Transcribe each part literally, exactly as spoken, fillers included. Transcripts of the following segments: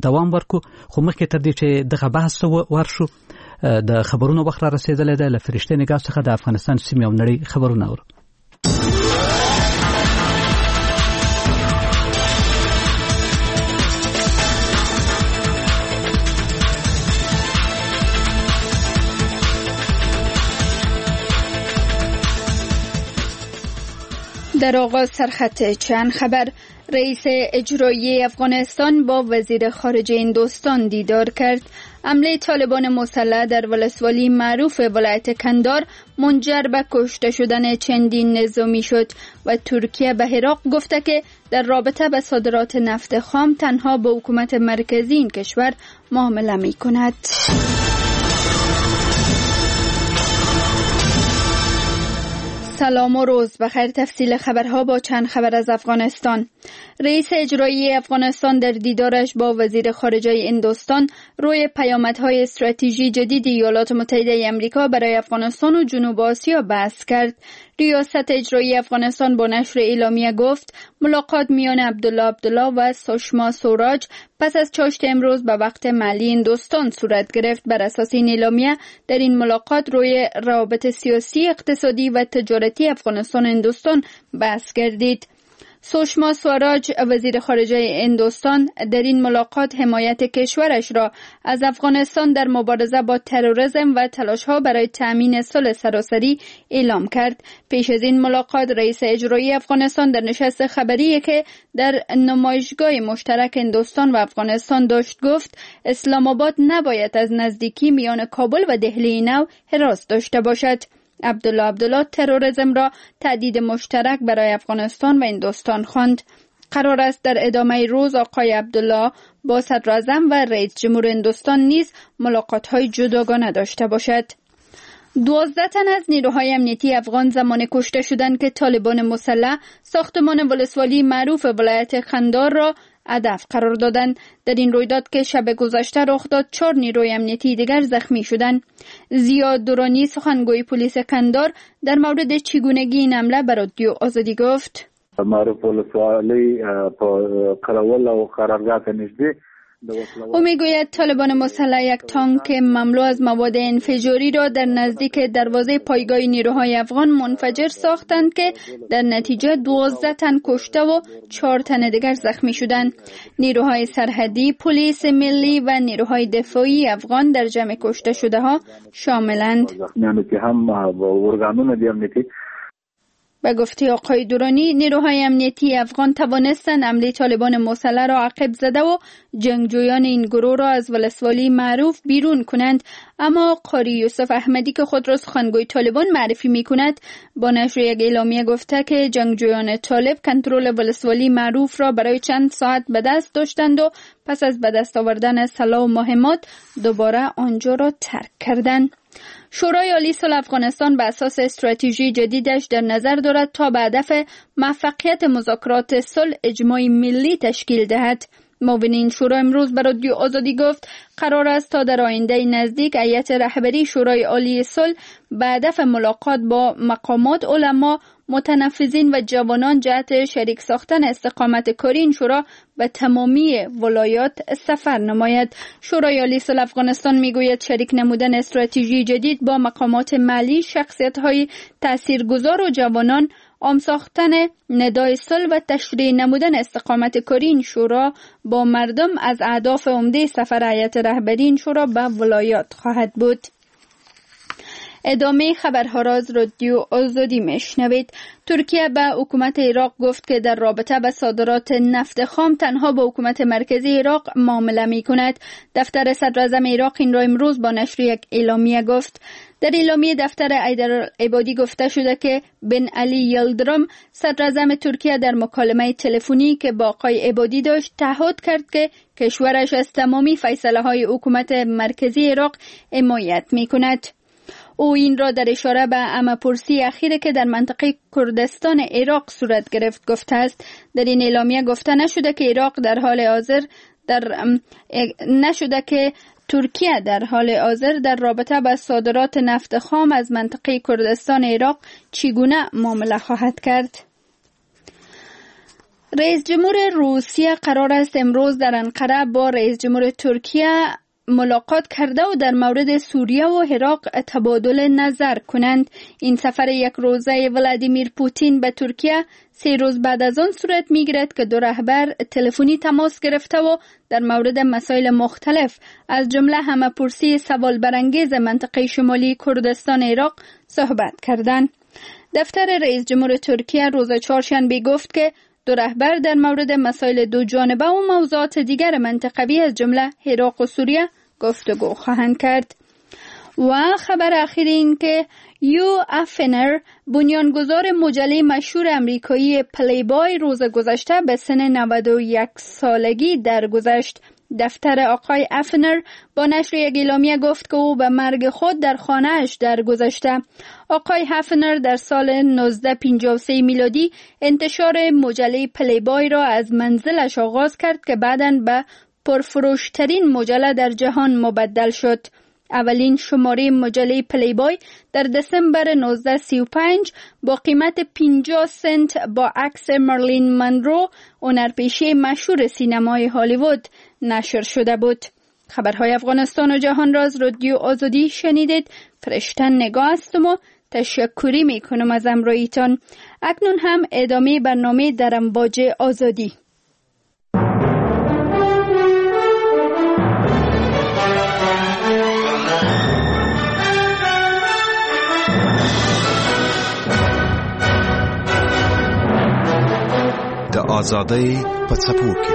دوام ورکو. خو مخکې تر دې چې دغه بحث ته ورشو، د خبرونو وخت را رسېدلی دی. له فرشتې نګاه څخه د افغانستان سیمې او نړۍ خبرونه اورو. در آغاز سرخط چند خبر. رئیس اجرایی افغانستان با وزیر خارجه هندوستان دیدار کرد. حمله طالبان مسلح در ولسوالی معروف ولایت کندهار منجر به کشته شدن چندین نظامی شد و ترکیه به عراق گفته که در رابطه به صادرات نفت خام تنها با حکومت مرکزی این کشور معامله می کند. سلام و روز بخیر. تفصیل خبرها با چند خبر از افغانستان. رئیس اجرایی افغانستان در دیدارش با وزیر خارجه هندوستان روی پیامدهای استراتژی جدید ایالات متحده آمریکا برای افغانستان و جنوب آسیا بحث کرد. ریاست اجرایی افغانستان با نشر اعلامیه گفت ملاقات میان عبدالله عبدالله و سوشما سوراج پس از چاشت امروز به وقت محلی هندوستان صورت گرفت. بر اساس این اعلامیه در این ملاقات روی روابط سیاسی، اقتصادی و تجارتی افغانستان و هندوستان بحث گردید. سوشما سواراج وزیر خارجه هندوستان در این ملاقات حمایت کشورش را از افغانستان در مبارزه با تروریسم و تلاش‌ها برای تأمین صلح سراسری اعلام کرد. پیش از این ملاقات رئیس اجرایی افغانستان در نشست خبری که در نمایشگاه مشترک هندوستان و افغانستان داشت گفت اسلام آباد نباید از نزدیکی میان کابل و دهلی نو هراس داشته باشد. عبدالله عبدالله تروریسم را تهدید مشترک برای افغانستان و هندوستان خواند. قرار است در ادامه روز آقای عبدالله با صدراعظم و رئیس جمهور هندوستان نیز ملاقات‌های جداگانه داشته باشد. دوازده تن از نیروهای امنیتی افغان زمان کشته شدند که طالبان مسلح ساختمان ولسوالی معروف ولایت قندهار را هدف قرار دادند. در این رویداد که شب گذشته رخ داد، چهار نیروی امنیتی دیگر زخمی شدند. زیاد دورانی سخنگوی پلیس قندهار در مورد چگونگی این حمله به رادیو آزادی گفت: معروف ولسوالی په قراول او قرارگاه ته نږدې. او میگوید طالبان مسلح یک تانک مملو از مواد انفجاری را در نزدیک دروازه پایگاه نیروهای افغان منفجر ساختند که در نتیجه دوازده تن کشته و چهار تن دیگر زخمی شدند. نیروهای سرحدی، پلیس ملی و نیروهای دفاعی افغان در جمع کشته شده ها شاملند. به گفته آقای دورانی، نیروهای امنیتی افغان توانستند حمله طالبان مسلح را عقب زده و جنگجویان این گروه را از ولسوالی معروف بیرون کنند. اما قاری یوسف احمدی که خود را سخنگوی طالبان معرفی می کند با نشر یک اعلامیه گفته که جنگجویان طالب کنترل ولسوالی معروف را برای چند ساعت به دست داشتند و پس از به دست آوردن سلاح و مهمات دوباره آنجا را ترک کردند. شورای عالی صلح افغانستان به اساس استراتژی جدیدش در نظر دارد تا به هدف موفقیت مذاکرات صلح اجماع ملی تشکیل دهد. معاون این شورا امروز به رادیو آزادی گفت قرار است تا در آینده نزدیک هیئت رهبری شورای عالی صلح به هدف ملاقات با مقامات، علما، متنفذین و جوانان جهت شریک ساختن استقامت کاری این شورا به تمامی ولایات سفر نماید. شورای عالی صلح افغانستان میگوید شریک نمودن استراتژی جدید با مقامات محلی، شخصیت‌های تاثیرگذار و جوانان، عام ساختن ندای صلح و تشریح نمودن استقامت کاری این شورا با مردم از اهداف عمده سفر هیئت رهبری این شورا به ولایات خواهد بود. ادامه خبرها را از رادیو آزادی میشنوید. ترکیه به حکومت عراق گفت که در رابطه به صادرات نفت خام تنها با حکومت مرکزی عراق معامله می کند. دفتر صدراعظم عراق این را امروز با نشر یک اعلامیه گفت. در اعلامیه دفتر حیدرعبادی گفته شده که بن علی یلدرم صدراعظم ترکیه در مکالمه تلفنی که با آقای عبادی داشت تعهد کرد که کشورش از تمامی فیصله های حکومت مرکزی عراق حمایت می کند. او این را در اشاره به عامه‌پرسی اخیر که در منطقه کردستان عراق صورت گرفت گفته است. در این اعلامیه گفته نشده که عراق در حال حاضر در نشده که ترکیه در حال حاضر در رابطه با صادرات نفت خام از منطقه کردستان عراق چگونه معامله خواهد کرد. رئیس جمهور روسیه قرار است امروز در انقره با رئیس جمهور ترکیه ملاقات کرده و در مورد سوریه و عراق تبادل نظر کنند. این سفر یک روزه ولادیمیر پوتین به ترکیه سه روز بعد از آن صورت میگیرد که دو رهبر تلفنی تماس گرفته و در مورد مسائل مختلف از جمله همه‌پرسی سوال برانگیز منطقه شمالی کردستان عراق صحبت کردند. دفتر رئیس جمهور ترکیه روز چهارشنبه گفت که دو رهبر در مورد مسائل دو جانبه و موضوعات دیگر منطقوی از جمله عراق و سوریه گفتگو خواهند کرد. و خبر اخیر این که یو افنر، بنیانگذار مجله مشهور امریکایی پلی بای، روز گذشته به سن نود و یک سالگی درگذشت. دفتر آقای افنر با نشر یک اعلامیه گفت که او به مرگ خود در خانه‌اش درگذشته. آقای افنر در سال نوزده پنجاه و سه میلادی انتشار مجله پلی بای را از منزلش آغاز کرد که بعداً به پرفروشترین مجله در جهان مبدل شد. اولین شماره مجله پلی بای در دسامبر نوزده سی و پنج با قیمت پنجاه سنت با عکس مرلین منرو، هنرپیشه مشهور سینمای هالیوود، نشر شده بود. خبرهای افغانستان و جهان را از رادیو آزادی شنیدید. فرشته نگاه هستم و تشکری میکنم از همراهیتان. اکنون هم ادامه برنامه در امواج آزادی. د آزادۍ په څپو کې،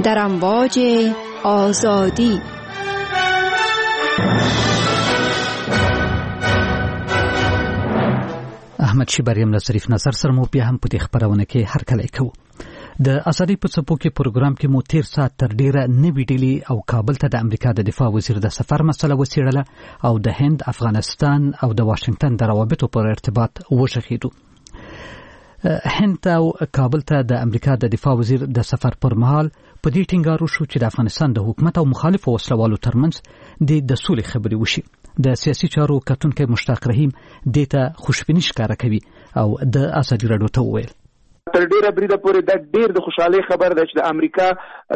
در امواج آزادی. احمد شیبریم له ظریف نظر سره مو بیا هم په دې خپرونه کې هرکلی کوو. د ازادۍ په څپو کې پروګرام کې مو تیر ساعت تر ډیره نوي ډیلي او کابل ته د امریکا د دفاع وزیر د سفر مسله وڅېړله او د هند، افغانستان او د واشنګټن د روابطو پر ارتباط وغږېدو. هند او کابل ته د امریکا د دفاع وزیر د سفر پر مهال په دې ټینګار وشو چې د افغانستان د حکومت او مخالفو وسلوالو ترمنځ د د سولې خبرې وشي. د سیاسي چارو کتونکی مشتاق رحیم دې ته خوشبیني ښکاره کوي او د ازادي راډیو ته وویل: تر ډیره بریده پورې دا ډیر د خوشحالۍ خبر ده چې د امریکا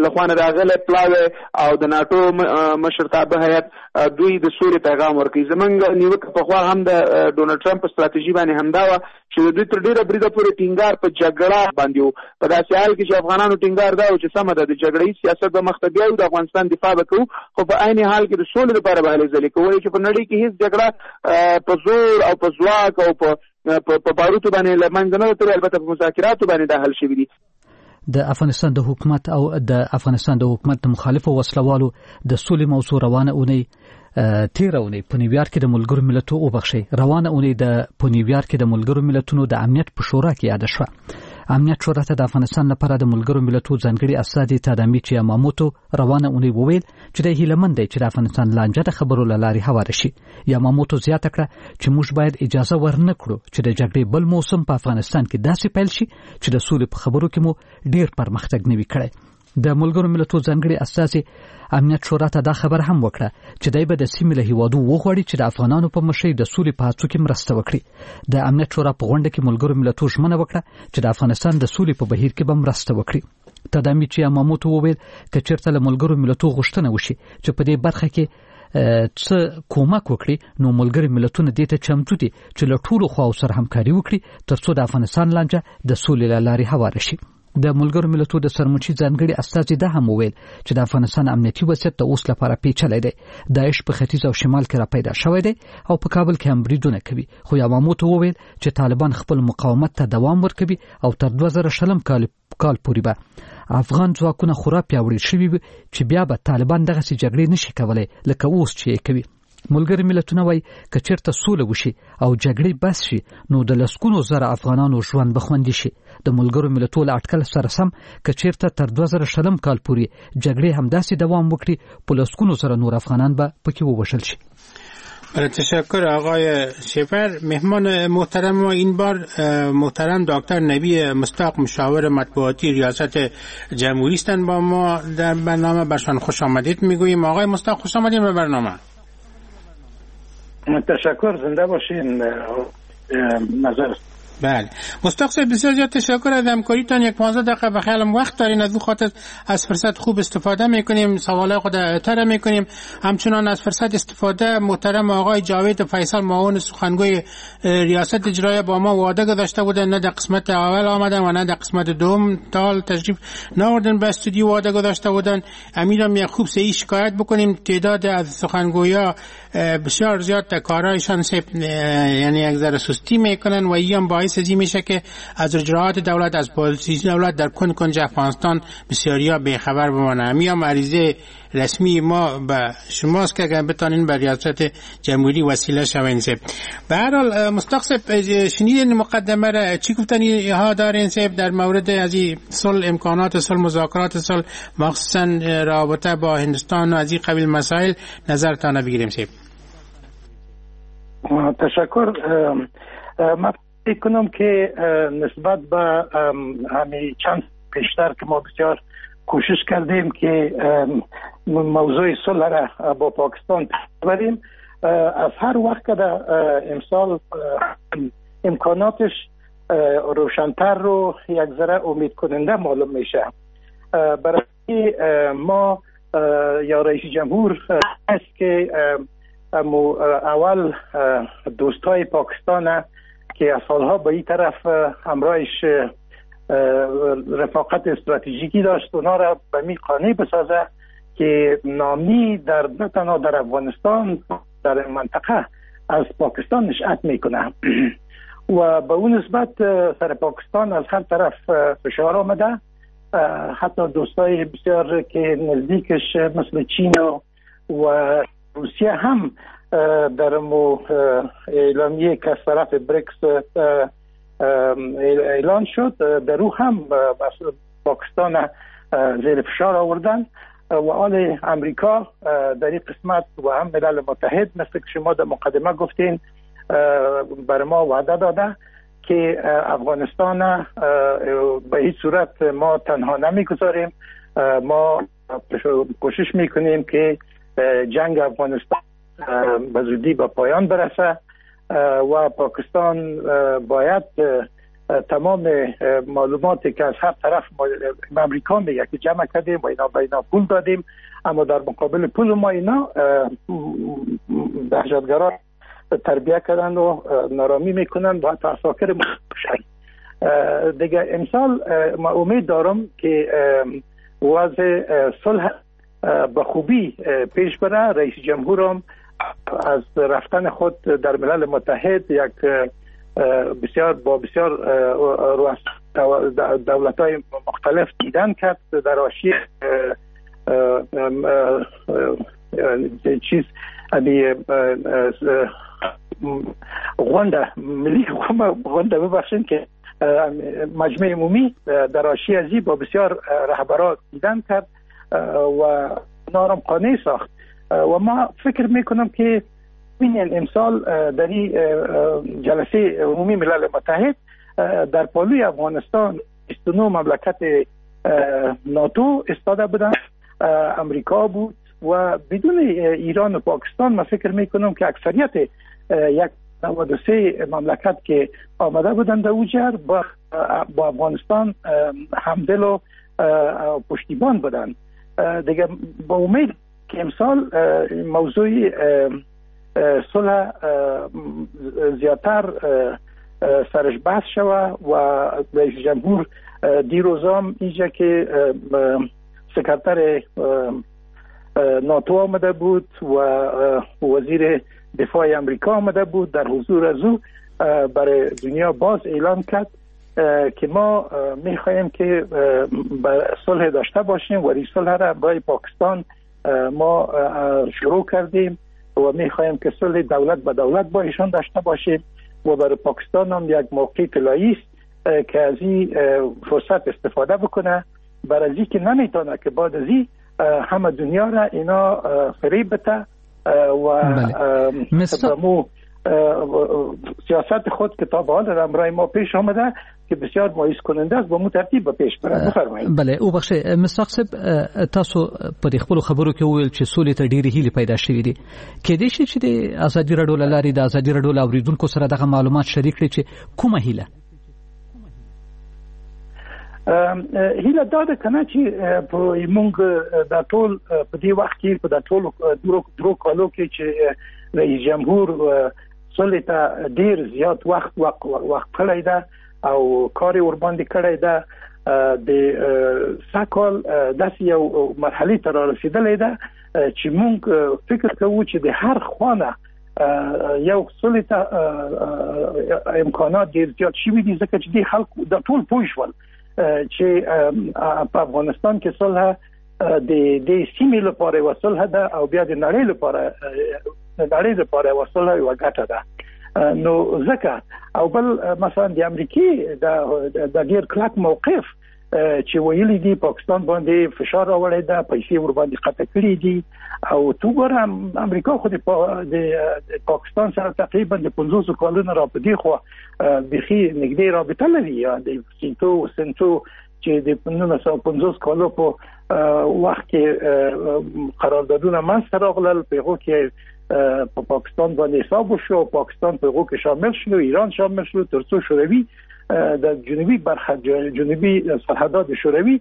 له خوا نه راغلی پلاوی او د ناټو مشرتابه هیئت دوی د سولې پیغام ورکوي. زمونږ نیوکه پخوا هم د ډونالډ ټرمپ په ستراتیژي باندې همدا وه چې د دوی تر ډیره بریده پورې ټینګار په جګړه باندې و، په داسې حال کې چې افغانانو ټینګار دا و چې سمه ده د جګړه ییز سیاست به مخته بیایو، د افغانستان دفاع به کوو، خو په عین حال کې د سولې لپاره به هلې ځلې کوو، چې په نړۍ کې هیڅ جګړه په زور او په ځواک او په په باروتو باندې له منځه نه تللې، البته په مذاکراتو باندې دا حل شوي دي. د افغانستان د حکومت او د افغانستان د حکومت د مخالفو وسلوالو د سولې موضوع روانه اونۍ تیره اونۍ په نیویارک کې د ملګرو ملتونو وبخښئ روانه اونۍ د په نیویارک کې د ملګرو ملتونو د امنیت په شورا کې یاده شوه. امنیت شورا ته د افغانستان لپاره د ملګرو ملتونو ځانګړي استازي تادامیچي یاماموتو روانه اونۍ وویل چې دی هیله مند دی چې د افغانستان لانجه د خبرو له لارې هواره شي. یاماموتو زیاته کړه چې موږ باید اجازه ورنه کړو چې د جګړې بل موسم په افغانستان کې داسې پیل شي چې د سولې په خبرو کې مو ډیر پرمختګ نه وي کړی. د ملګرو ملتونو ځانګړي استازي امنیت شورا ته دا خبره هم وکړه چې دی به د سیمې له هیوادو وغواړي چې د افغانانو په مشرۍ د سولې په هڅو کې مرسته وکړي. د امنیت شورا په غونډه کې ملګرو ملتونو ژمنه وکړه چې د افغانستان د سولې په بهیر کې به مرسته وکړي. تادامیچي یاماموتو وویل که چېرته له ملګرو ملتونو غوښتنه وشي چې په دې برخه کې څه کومک وکړي نو ملګري ملتونه دې ته چمتو دي چې له ټولو خواو سره همکاري وکړي ترڅو د افغانستان لانجه د سولې له لارې هواره شي. د ملګرو ملتونو د سرمنشي ځانګړي استازي دا هم وویل چې د افغانستان امنیتي وضعیت د اوس لپاره پیچلی دی. داعش په ختیځ او شمال کې را پیدا شوی دی او په کابل کې هم بریدونه کوي، خو یاماموتو وویل چې طالبان خپل مقاومت ته دوام ورکوي او تر دوه زره شلم کال کال پورې به افغان ځواکونه خورا پیاوړي شوي وي چې بیا به طالبان دغسې جګړې نشي کولی لکه اوس چې یې کوي. ملګري ملتونه وایي که چېرته سوله وشي او جګړې بس شي نو د لسګونو زره افغانانو ژوند به خوندي شي. د ملګرو ملتونو له اټکل سره سم که چېرته تر دوه زره شلم کال پورې جګړې همداسې دوام وکړي په لسګونو زره نور افغانان به پکې ووژل شي. تشکر آقای شفر. مهمان محترم ما این بار محترم دکتر نبی مستاق مشاور مطبوعاتی ریاست جمهوری هستند با ما در برنامه. برشان خوش آمدید میگوییم. آقای مستاق خوش آمدید به برنامه. تشکر، زنده باشین. نظر بله مستاق صاحب، بسیار زیاد تشکر از همکاریتان. یک پانزده دقیقه به خیالم وقت دارین، از او خاطر از فرصت خوب استفاده میکنیم، سوالای خود تر میکنیم. همچنان از فرصت استفاده محترم آقای جاوید فیصل معاون سخنگوی ریاست اجرایی با ما وعده گذاشته بودن، نه در قسمت اول آمدن و نه در قسمت دوم تا تشریف نآوردن به استودیو، وعده گذاشته بودن. امیدم یک خوب سه شکایت بکنیم. تعداد از سخنگویا بسیار زیاد در کارهایشان یعنی یک ذره سستی میکنن و این باعث از این میشه که از اجراعات دولت، از پالیسی دولت در کن کنج افغانستان بسیاریا بیخبر بمانه. همین عریضه رسمی ما به شماست که اگر بتانین به ریاست جمهوری وسیله شوین. سیب به هر حال مستاق صاحب، شنیدین مقدمه را، چی گفتنی ها دارین صاحب در مورد از این صلح، امکانات صلح، مذاکرات صلح، مخصوصا رابطه با هندوستان و از این قبیل مسائل نظرتان بگیریم صاحب؟ تشکر. من فکر کنم که نسبت به همین چند پیشتر که ما بسیار کوشش کردیم که موضوع صلح را با پاکستان ببریم، از هر وقت که در امسال امکاناتش روشنتر رو یک ذره امید کننده معلوم میشه. برای ما یا رئیس جمهور است که اول دوستای پاکستان که از سالها به این طرف همراهش رفاقت استراتژیکی داشت، اونا را به می قانع بسازه که نامی در نه تنها در افغانستان، در منطقه از پاکستان نشأت میکنه و به اون نسبت سر پاکستان از هر طرف فشار آمده. حتی دوستای بسیار که نزدیکش مثل چین و روسیه هم در مو اعلامیه که از طرف بریکس اعلان شد، در او هم پاکستان زیر فشار آوردن و آل امریکا در این قسمت و هم ملل متحد مثل که شما در مقدمه گفتین بر ما وعده داده که افغانستان به هیچ صورت ما تنها نمیگذاریم، ما کوشش میکنیم که جنگ افغانستان به زودی به پایان برسه و پاکستان باید تمام معلوماتی که از هر طرف امریکا میگه که جمع کردیم و اینا به اینا پول دادیم، اما در مقابل پول ما اینا دهشتگران تربیه کردن و نارامی میکنن و حتی عساکر میکشن. دیگه امسال ما امید دارم که وضع صلح به خوبی پیش بره. رئیس جمهورم از رفتن خود در ملل متحد یک بسیار با بسیار دولت‌های مختلف دیدن کرد در حاشیه چیز غونډه ملی غونډه ببخشید که مجمع عمومی در حاشیه ازی با بسیار رهبران دیدن کرد و نارم قانع ساخت و ما فکر میکنم که ببینین امسال در این جلسه عمومی ملل متحد در پالوی افغانستان بیست و نه مملکت ناتو استاده بودن، امریکا بود و بدون ایران و پاکستان ما فکر میکنم که اکثریت یک نود و سه مملکت که آمده بودن در اوجر با, با افغانستان همدل و پشتیبان بودن. دیگه با امید که امسال موضوع صلح زیادتر سرش بحث شوه و رئیس جمهور دیروزام اینجا که سکرتر ناتو آمده بود و وزیر دفاع امریکا آمده بود، در حضور از او برای دنیا باز اعلام کرد که ما میخواهیم که صلح داشته باشیم و این صلح را برای پاکستان ما شروع کردیم و میخواهیم که صلح دولت به دولت با ایشان داشته باشیم و برای پاکستان هم یک موقع طلایی است که از این فرصت استفاده بکنه، برای از این که نمیتونه که بعد از این همه دنیا را اینا فریب بده و مو سیاست خود که تا به حال همراه ما پیش آمده که بسیار مایوس کننده است با مو ترتیب به پیش بره. بفرمایید. بله او بخښئ مستاق صاحب، تاسو په دې خپل خبرو کې وویل چې سولې ته ډېرې هیلې پیدا شوې دي، کېدای شي چې د ازادي راډیو له لارې د ازادي راډیو له اورېدونکو سره دغه معلومات شریک کړئ چې کومه هیله؟ هیله دا ده که نه چې په موږ دا ټول په دې وخت کې په دا ټولو درو درو کالو کې چې رئیس جمهور سولې ته ډیر زیات وخت وخت وخت کړی ده او کار یې ورباندې کړی ده، د سږکال داسې یو مرحلې ته را رسېدلی ده چې موږ فکر کوو چې د هر خوا نه یو سولې ته امکانات ډیر زیات شوي دي، ځکه چې دې خلکو دا ټول پوه شول چې په افغانستان کې صلح د دې سیمې لپاره یوه صلح ده او بیا د نړۍ لپاره د نړۍ لپاره یوه صلح یوه ګټه ده. نو ځکه او بل مثلا د امریکې د ډیر کلک موقف چې ویلي دي پاکستان باندې فشار راوړی ده، پیسې ورباندې قطع کړې دي، او تو ګوره امریکا خو د پاکستان سره تقریبا د پنځوسو کالونو را په دې خوا بیخي نږدې رابطه لري، د سینتو سنتو چې د نولس سوه پنځوس کالو په وخت کې قراردادونه منځته راغلل، په هغو کې په پاکستان باندې حساب وشو، پاکستان په هغو کې شامل شو، ایران شامل شو، ترڅو شوروي د جنوبي برخه جنوبي سرحدات شوروي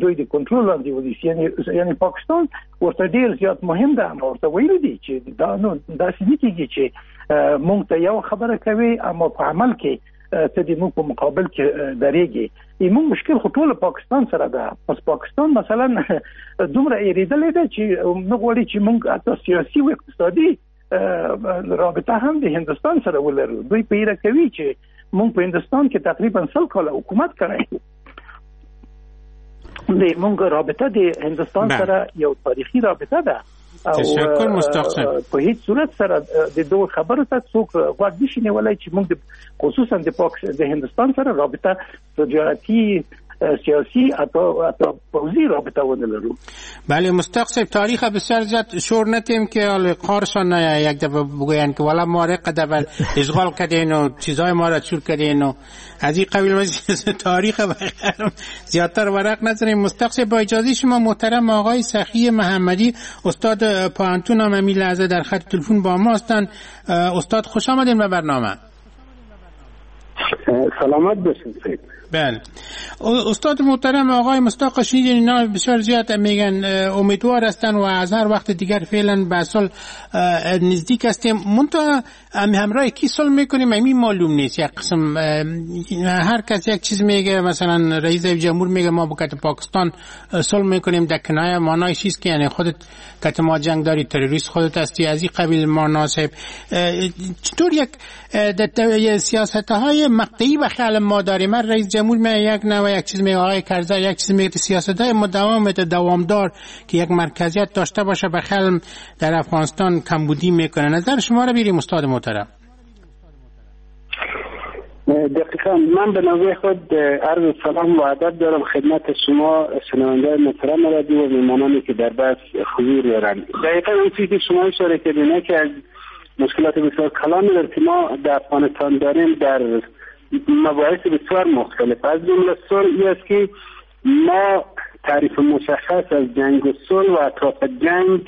دوی د کنټرول لاندې ونیسي. یعنی یعنی پاکستان ورته ډیر زیات مهم ده، اما ورته ویلي دي چې دا نو داسې نه کېږي چې موږ ته یو خبره کوي اما په عمل کې ته د موږ په مقابل کې درېږي. موږ مشکل خو ټول پاکستان سره ده. پس پاکستان مثلا دومره ایرېدلی ده چې نه غواړي چې موږ حتی سیاسي او اقتصادي رابطه هم د هندوستان سره ولرو. دوی په ایره کوي چې موږ په هندوستان کې تقریبا سل کاله حکومت کړی، د موږ رابطه د هندوستان سره یو تاریخي رابطه ده. تشکر مستاق صاحب. په هیڅ صورت سره د دوه خبرو ته څوک غوږ نشي نیولای چې موږ خصوصا د پاک د هندوستان سره رابطه تجارتي سیاسی حتی حتی پوزی رابطه ونه لرو. بله مستاق صاحب، تاریخ بسیار زیاد شور نتیم که حالا کارشان نه یک دفعه بگوین که والا ما را قدر اشغال کردین و چیزای ما را چور کردین و از این قبیل تاریخ زیادتر ورق نزنیم. مستاق صاحب با اجازه شما محترم آقای سخی محمدی استاد پوهنتون هم همین لحظه در خط تلفن با ما هستند. استاد خوش آمدین به برنامه. سلامت باشید. بله استاد محترم آقای مستاق شنیدین اینا بسیار زیاد میگن امیدوار هستن و از هر وقت دیگر فعلا به سال نزدیک هستیم، منتها همراه کی صلح میکنیم همین معلوم نیست. یک قسم هر کس یک چیز میگه، مثلا رئیس جمهور میگه ما با کت پاکستان صلح میکنیم، در کنایه معنایش چیست که یعنی خودت کت ما جنگ داری، تروریست خودت هستی، از این قبیل معنا صاحب. چطور یک سیاست های مقطعی به خیال ما داریم؟ رئیس جمهور می یک نوع یک چیز میگه، آقای کرزی یک چیز میگه، سیاست های مداوم دوامدار که یک مرکزیت داشته باشه به خیال در افغانستان کمبودی میکنه. نظر شما رو بیریم استاد محترم. دقیقا من به نوبه خود عرض سلام و ادب دارم خدمت شما شنونده محترم رادیو و میهمانانی که در بحث حضور دارند. دقیقا اون چیزی که شما اشاره کردین که از مشکلات بسیار کلانی در که ما در افغانستان داریم در مباحث بسیار مختلف، از جمله صلح، این است که ما تعریف مشخص از جنگ و صلح و اطراف جنگ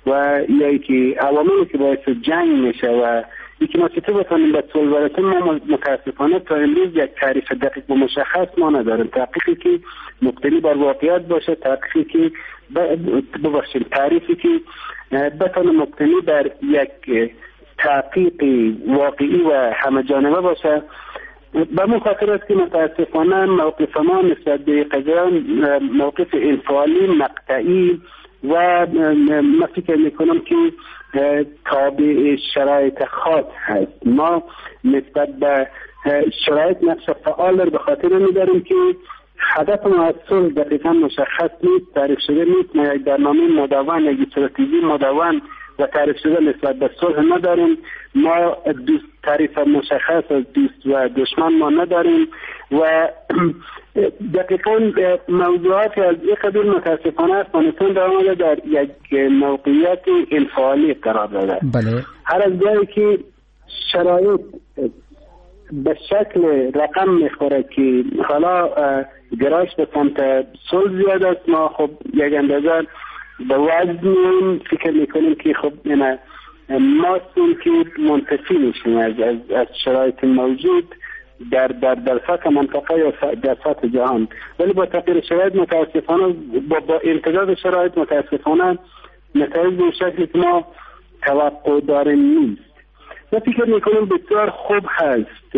و یا که عواملی که باعث جنگ میشه و اینکه ما چطور بتونیم به صلح برسیم، ما متاسفانه تا امروز یک تعریف دقیق و مشخص ما نداریم. تحقیقی که مبتنی بر واقعیت باشه، تحقیقی که ببخشید تعریفی که بتونه مبتنی بر یک تحقیق واقعی و همه جانبه باشه. به من خاطر است که متاسفانه موقف ما نسبت به قضیه موقف انفعالی مقطعی و ما فکر میکنم که تابع شرایط خاص هست. ما نسبت به شرایط نقش فعال را به خاطر میداریم که هدف ما از صلح دقیقا مشخص نیست، تعریف شده نیست. ما یک برنامه مدون، یک استراتژی مدون و تعریف شده نسبت به صلح نداریم. ما دوست تعریف مشخص از دوست و دشمن ما نداریم و دقیقا موضوعات از این قبیل متاسفانه افغانستان در آمده در یک موقعیت انفعالی قرار داده. بله. هر از جایی که شرایط به شکل رقم میخوره که حالا گرایش به سمت صلح زیاد است، ما خب یک اندازه به وزن فکر میکنیم که خب نه ما که منتفی میشیم از, از, از شرایط موجود در در در سطح منطقه یا در سطح جهان. ولی با تغییر شرایط متاسفانه با با امتداد شرایط متاسفانه نتایج به شکلی که ما توقع داریم نیست. من فکر میکنم بسیار خوب هست.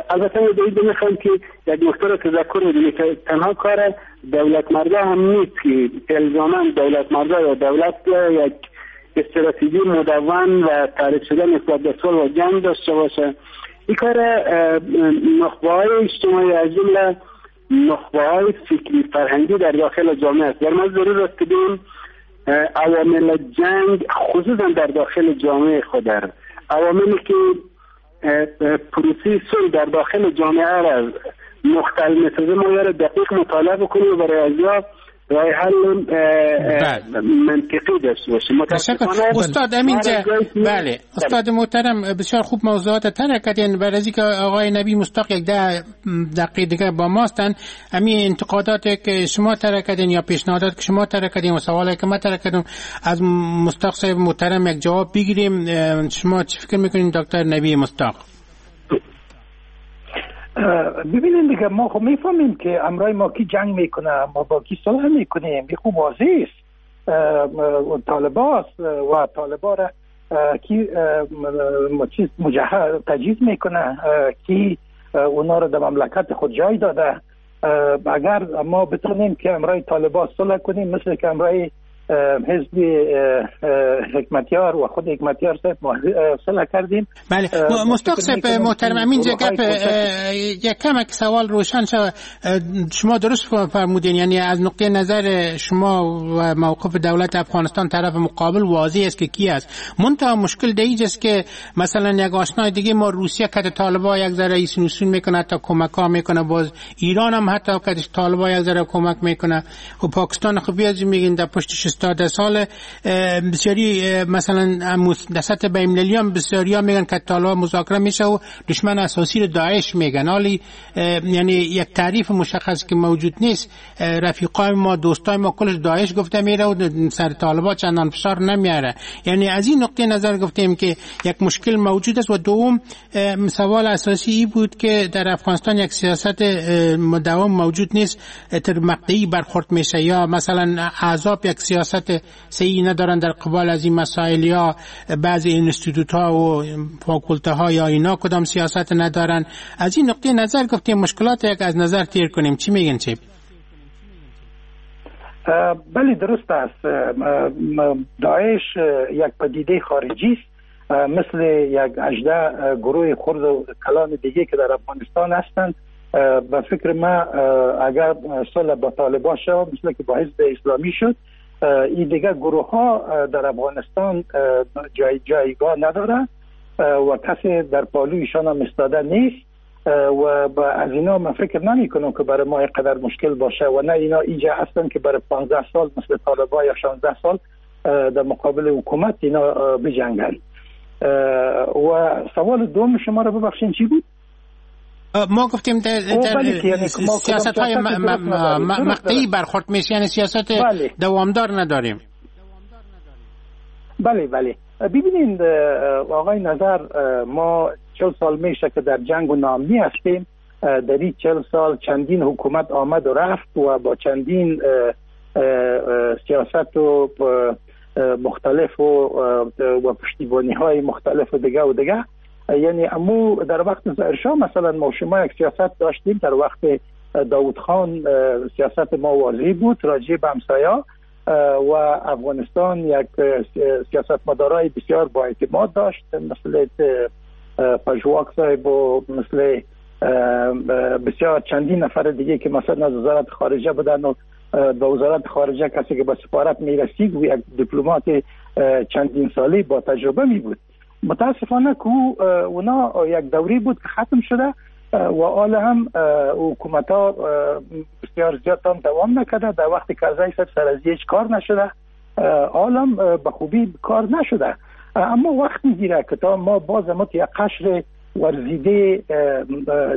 البته ما باید میخوایم که یک نکته را تذکر بدیم که تنها کار دولت مردا هم نیست که الزاما دولت مردا یا دولت یک استراتژی مدون و تعریف شده نسبت به صلح و جنگ داشته باشه. این کار نخبه‌های اجتماعی از جمله نخبه‌های فکری فرهنگی در داخل جامعه است. در ما ضرور است که ببینیم عوامل جنگ خصوصا در داخل جامعه خود، در عواملی که پروسه صلح در داخل جامعه را مختل می‌سازه ما را دقیق مطالعه بکنیم و برای ازیا راه حل منطقی داشته باشیم. تشکر استاد امینجا. بله استاد محترم، بسیار خوب موضوعات طرح کردین. برای اینکه آقای نبی مصداق یک ده دقیقه دیگه با ما هستن، همین انتقادات که شما طرح کردین یا پیشنهادات که شما طرح کردین و سوالی که ما طرح کردم از مصداق صاحب محترم یک جواب بگیریم. شما چی فکر میکنین دکتر نبی مصداق؟ ببینید دیگه، ما خب میفهمیم که امرای ما کی جنگ میکنه، ما با کی صلح میکنیم، این خوب واضح است. طالباست و طالبا را کی چیز مجهز تجهیز میکنه، کی اونا را در مملکت خود جای داده. اگر ما بتونیم که امرای طالبا صلح کنیم مثل که امرای حزب حکمتیار و خود حکمتیار صاحب صلح کردیم. بله مصداق صاحب محترم، همینجا گپ یک کمک سوال روشن شد. شما درست فرمودین، یعنی از نقطه نظر شما و موقف دولت افغانستان طرف مقابل واضح است که کی است. منتها مشکل در اینجا است که مثلا یک آشنای دیگه ما روسیه که طالبا یک ذره ایسون میکنه، حتی کمک ها میکنه، باز ایران هم حتی که طالبا یک ذره کمک میکنه و پاکستان خب بیازی میگین در پشتش استاد سال بسیاری مثلا در سطح بین‌المللی هم بسیاری ها میگن که طالبان مذاکره میشه و دشمن اساسی رو داعش میگن. حالی یعنی یک تعریف مشخص که موجود نیست. رفیقای ما دوستای ما کلش داعش گفته میره و سر طالبان چندان فشار نمیاره. یعنی از این نقطه نظر گفتیم که یک مشکل موجود است. و دوم سوال اساسی ای بود که در افغانستان یک سیاست مداوم موجود نیست، تر مقطعی برخورد میشه یا مثلا احزاب یک سیاست صحیح ندارن در قبال از این مسائل، یا بعضی اینستیتوت ها و فاکولته ها یا اینا کدام سیاست ندارن. از این نقطه نظر گفتیم مشکلات یک از نظر تیر کنیم. چی میگن چی؟ بله درست است. داعش یک پدیده خارجی است، مثل یک هجده گروه خرد و کلان دیگه که در افغانستان هستند. به فکر ما اگر صلح با طالبان شد مثل که با حزب اسلامی شد، این دیگه گروه ها در افغانستان جای جایگاه نداره و کسی در پالویشان هم ایستاده نیست و از اینا من فکر نمی کنم که برای ما اینقدر مشکل باشه و نه اینا اینجا هستن که برای پانزده سال مثل طالبا یا شانزده سال در مقابل حکومت اینا بجنگن. و سوال دوم شما رو ببخشین چی بود؟ ما گفتیم در, در سیاست های مقطعی برخورد میشه، یعنی سیاست بله. دوامدار نداریم. بله بله ببینید آقای نظر، ما چهل سال میشه که در جنگ و ناامنی هستیم. در این چهل سال چندین حکومت آمد و رفت و با چندین سیاست و مختلف و, و پشتیبانی های مختلف و دیگه و دیگه. یعنی امو در وقت ظاهرشاه مثلا ما شما یک سیاست داشتیم، در وقت داود خان سیاست ما واضح بود راجع به همسایه و افغانستان یک سیاستمدارای بسیار با اعتماد داشت مثل پژواک صاحب و مثل بسیار چندین نفر دیگه که مثلا از وزارت خارجه بودن و به وزارت خارجه کسی که به سفارت میرسید و یک دیپلمات چندین ساله با تجربه می بود. متاسفانه که اونا یک دوری بود که ختم شده و حالا هم حکومت ها بسیار زیاد هم دوام نکرده. در وقت کرزی صاحب سر از هیچ کار نشده، حالا هم به خوبی کار نشده، اما وقت میگیره که تا ما باز ما یک قشر ورزیده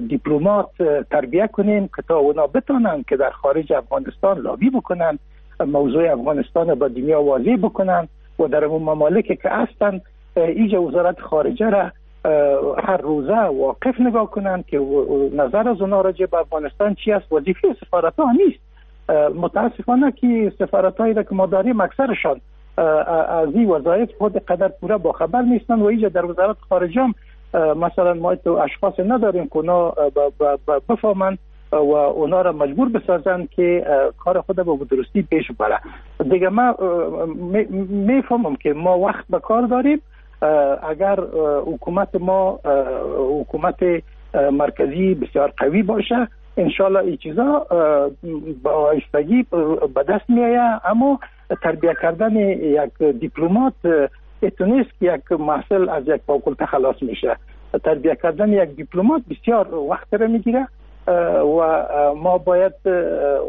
دیپلمات تربیه کنیم که تا اونا بتونن که در خارج افغانستان لابی بکنن، موضوع افغانستان با دنیا واضح بکنن و در اون ممالک که هستن ایجا وزارت خارجه را هر روزه واقف نگاه کنند که نظر از اونا راجع به افغانستان چی است. وظیفه سفارت ها نیست. متاسفانه که سفارت هایی که ما داریم اکثرشان از این وظایف خود قدر پوره با خبر نیستند و اینجا در وزارت خارجه هم مثلا ما تو اشخاص نداریم که اونا بفهمند و اونا را مجبور بسازند که کار خود به درستی پیش ببره. دیگه ما میفهمم که ما وقت به کار داریم. اگر حکومت ما حکومت مرکزی بسیار قوی باشه انشالله این چیزا با آهستگی به دست میآید. اما تربیه کردن یک دیپلمات اتونیست که یک محصل از یک فاکولته خلاص میشه. تربیه کردن یک دیپلمات بسیار وقت را میگیره و ما باید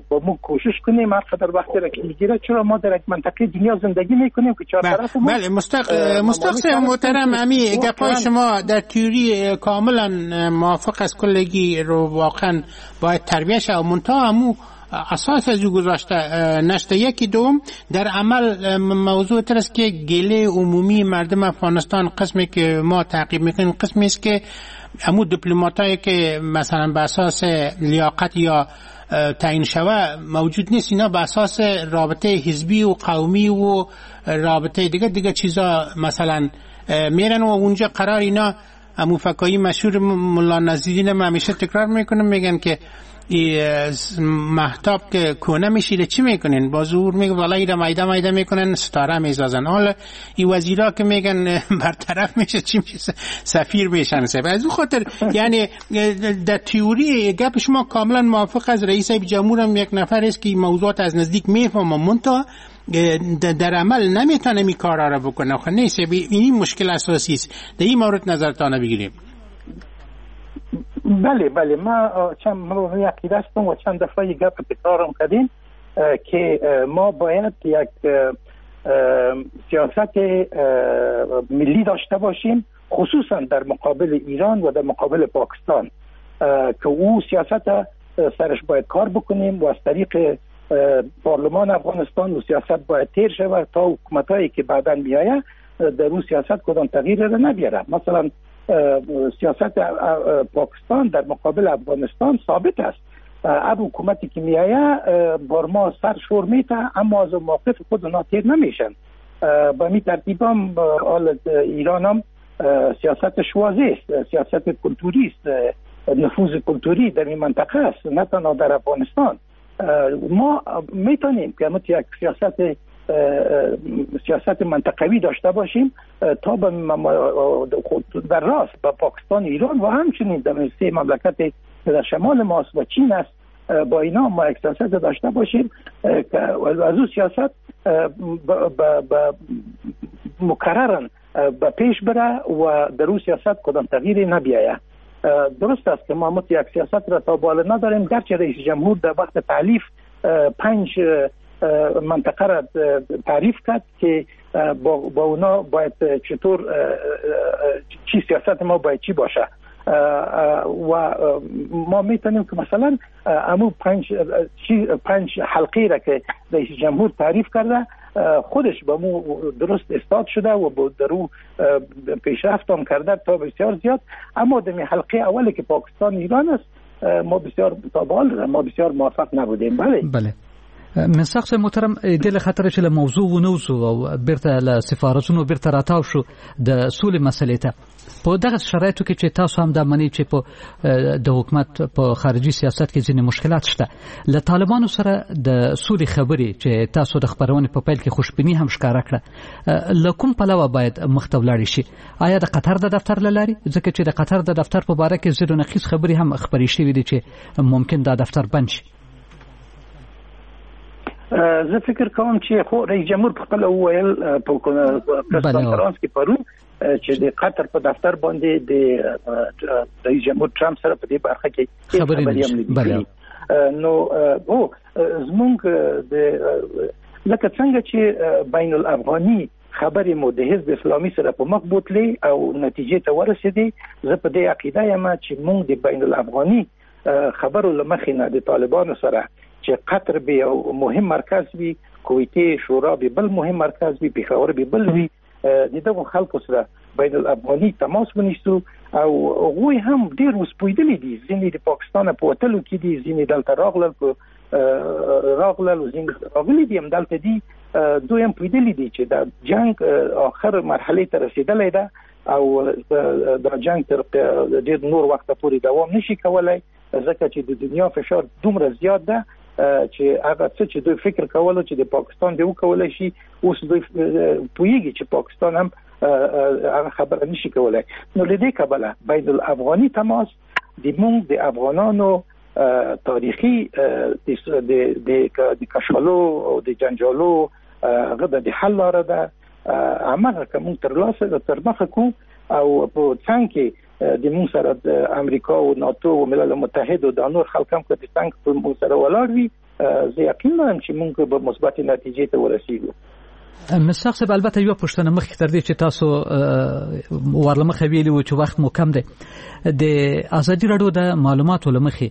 با ما کوشش کنیم هر قدر وقت را که میگیره، چرا ما در یک منطقه دنیا زندگی میکنیم که چهار طرف ما. بله مستق مستق محترم، امی گپای شما در تئوری کاملا موافق است، کلگی رو واقعا باید تربیه شه، منتها امو اساس از او گذاشته نشته. یکی دوم در عمل موضوع تر است که گله عمومی مردم افغانستان قسمی که ما تعقیب میکنیم قسمی است که امو دیپلماتایی که مثلا به اساس لیاقت یا تعیین شوه موجود نیست، اینا به اساس رابطه حزبی و قومی و رابطه دیگه دیگه چیزا مثلا میرن و اونجا قرار اینا امو فکایی مشهور ملا نزیدین ما همیشه تکرار میکنم، میگن که ای مهتاب که کونه میشیده چی میکنن؟ با زور میگه والا ایره میده میده میکنن ستاره میزازن. حالا این وزیرا که میگن برطرف میشه چی میشه؟ سفیر میشن. از اون خاطر یعنی در تئوری گپ شما کاملا موافق از رئیس جمهور هم یک نفر است که موضوعات از نزدیک میفهمه، منتها در عمل نمیتونه می کارا را بکنه. خب نیست، این مشکل اساسی است. در این مورد نظرتان بگیریم. بله بله، ما چند ما عقیده هستم و چند دفعه گپ تکرارم کردیم که ما باید یک سیاست ملی داشته باشیم، خصوصا در مقابل ایران و در مقابل پاکستان، که او سیاست سرش باید کار بکنیم و از طریق پارلمان افغانستان و سیاست باید تیر شود تا حکومت‌هایی که بعداً میآید در او سیاست کدام تغییر را نبیاره. مثلا سیاست پاکستان در مقابل افغانستان ثابت است. هر حکومتی که میآید بار ما سر شور میته، اما از موقف خود اونا تیر نمیشن. با می ترتیب هم حال ایران هم سیاستش واضح است، سیاست کلتوری است، نفوذ کلتوری در این منطقه است، نه تنها در افغانستان. ما میتونیم که یک سیاست سیاست منطقوی داشته باشیم تا به در راست با پاکستان، ایران و همچنین در سه مملکت که در شمال ماست و چین است، با اینا ما یک سیاست داشته باشیم که از او سیاست مکررن به پیش بره و در او سیاست کدام تغییری نبیاید. درست است که ما یک سیاست را تا بالا نداریم، گرچه رئیس جمهور در وقت تعلیف پنج منطقه را تعریف کرد که با, با اونا باید چطور چی سیاست ما باید چی باشه و ما میتونیم که مثلا امو پنج پنج حلقه را که رئیس جمهور تعریف کرده خودش با مو درست استاد شده و با درو پیشرفت هم کرده تا بسیار زیاد. اما در حلقه اولی که پاکستان ایران است ما بسیار تا به حال ما بسیار موفق نبودیم. بله بله مصداق صاحب محترم، دې له خاطره چې له موضوع ونه وځو او بیرته له سفارتونو بیرته راتاو شو د سولې مسئلې ته، په دغه شرایطو کې چې تاسو هم دا منئ چې په د حکومت په خارجي سیاست کې ځینې مشکلات شته، له طالبانو سره د سولې خبرې چې تاسو د خپرونې په پیل کې خوشبیني هم ښکاره کړه، له کوم پلوه باید مخته ولاړې شي؟ آیا د قطر د دفتر له لارې؟ ځکه چې د قطر د دفتر په باره کې ځینو نقیص خبرې هم خپرې شوې دي چې ممکن دا دفتر بند شي. زه فکر کوم چې خو رئیس جمهور په خپل وویل په پریس کانفرنس کې پرون چې د قطر په دفتر باندې د رئیس جمهور ترامپ سره په دې برخه کې خبرې هم نه. نو او زمونږ د لکه څنګه چې بین الافغاني خبرې مو د حزب اسلامي سره په مخ بوتلې او نتیجې ته ورسېدې، زه په دې عقیده یم چې مونږ د بین الافغاني خبرو له مخې نه د طالبانو سره چې قطر به یو مهم مرکز وي، کویتې شورا به بل مهم مرکز وي، پېښور به بل وي، د دغو خلکو سره بین الافغاني تماس ونیسو. او هغوی هم ډېر اوس پوهېدلي دي، ځینې د پاکستان په وتلو کې دي، ځینې دلته راغلل په راغلل او ځینې راغلي دي هم دلته دي. دوی هم پوهېدلي دي چې دا جنګ آخر مرحلې ته رسېدلی ده او دا جنګ تر ډېر نور وخته پورې دوام نشي کولی، ځکه چې د دنیا فشار دومره زیات ده چې هغه څه چې دوی فکر کولو چې د پاکستان دی وکولی شي، اوس دوی پوهېږي چې پاکستان هم هغه خبره نشي کولی. نو له دې کبله بین الافغاني تماس د موږ د افغانانو تاریخي د د کشالو او د جنجالو هغه د حل لاره ده. هماغه که موږ ترلاسه تر مخه کو او په څنګ کې د موږ سره د امریکا او ناتو او ملل متحد او د نور خلک هم که د څنګ په موږ سره ولاړ وي، زه یقین لرم چې موږ به مثبتې نتیجې ته ورسیږو. مصداق صاحب، البته یوه پوښتنه مخکې تر دې چې تاسو ور له مخه ویلي وو چې وخت مو کم دی، د ازادي راډیو د معلوماتو له مخې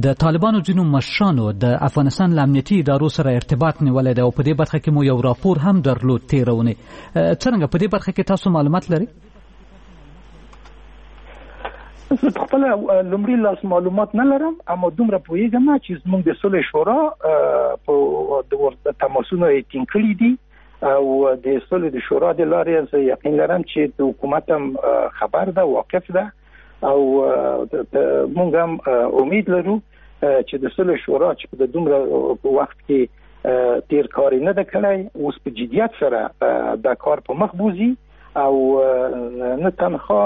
د طالبانو ځینو مشرانو د افغانستان له امنیتي ادارو سره ارتباط نیولی دی او په دې برخه کې مو یو راپور هم درلود تېره اونۍ. څرنګه په دې برخه کې تاسو معلومات لرئ؟ زه په خپله لومړي لاس معلومات نه لرم، اما دومره پوهېږم چې زموږ د سولې شورا په تماسونه یې ټینګ کړي دي او د سولې د شورا د لارې زه یقین لرم چې د حکومت هم خبر ده، واقف ده، او موږ هم امید لرو چې د سولې شورا چې په دومره وخت کې تیر کار نه ده کړی، اوس په جدیت سره دا کار په مخ بوزي او نه تنها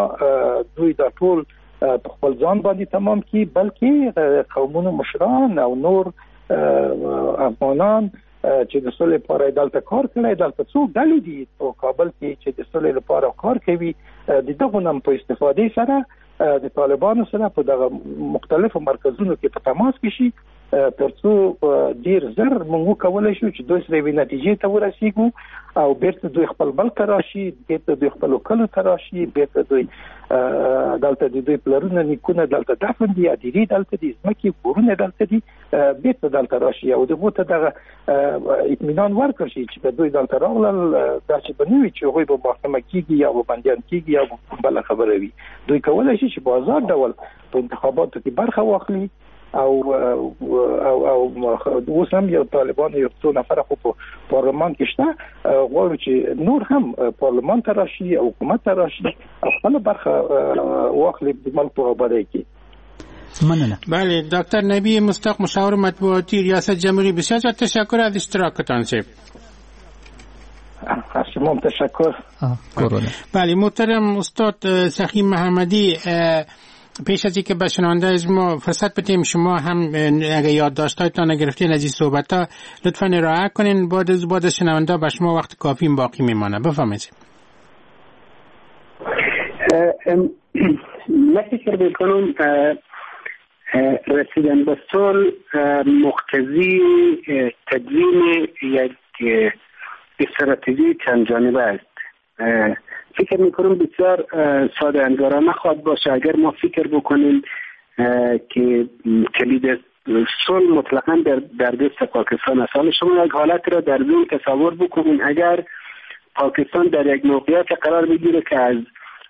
دوی دا ټول په خپل ځان باندې تمام کړي، بلکې قومونو مشران او نور افغانان چې د سولې لپاره دلته کار کړی، دلته څو ډلې دي په کابل کې چې د سولې لپاره کار کوي، د دغو نم په استفادې سره د طالبانو سره په دغه مختلفو مرکزونو کې په تماس کې شي، ترڅو ډیر زر موږ وکولی شو چې دوی سره یوې نتیجې ته ورسیږو او بیرته دوی خپل ملک ته راشي، بیرته دوی خپلو کلو ته راشي، بیرته دوی دلته د دوی پلرونه نیکونه دلته دفن دي، ادیرې دلته دي، ځمکې کورونه دلته دي، بیرته دلته راشي او دغو ته دغه اطمینان ورکړ شي چې که دوی دلته راغلل داسې به نه وي چې هغوی به محاکمه کیږي یا به بندیان کیږي یا به بله خبره وي. دوی کولی شي چې په ازاد ډول په انتخاباتو کې برخه واخلي او او او اوس هم یو طالبان یو څو نفره خو په پارلمان کې شته، غواړو چې نور هم پارلمان ته راشي او حکومت ته راشي او خپله برخه واخلي د ملک په آبادۍ کې. مننه. بله، دکتر نبی مصداق مشاور مطبوعاتی ریاست جمهوری، بسیار تشکر از اشتراکتان صاحب. از شما تشکر. بله، محترم استاد سخی محمدی، پیش از اینکه به شنونده از ما فرصت بدیم شما هم اگه یادداشت‌هایتان گرفتین از این صحبت‌ها لطفاً ارائه کنین، بعد از بعد شنونده به شما وقت کافی باقی میمانه. بفرمایید. من فکر می‌کنم رسیدن به صلح مقتضی تدوین یک استراتژی چند جانبه است. فکر میکنم بسیار ساده انگارانه خواهد باشه اگر ما فکر بکنیم که کلید صلح مطلقاً در, در دست پاکستان است. حالا شما یک حالت را در ذهن تصور بکنین، اگر پاکستان در یک موقعیت قرار بگیره که از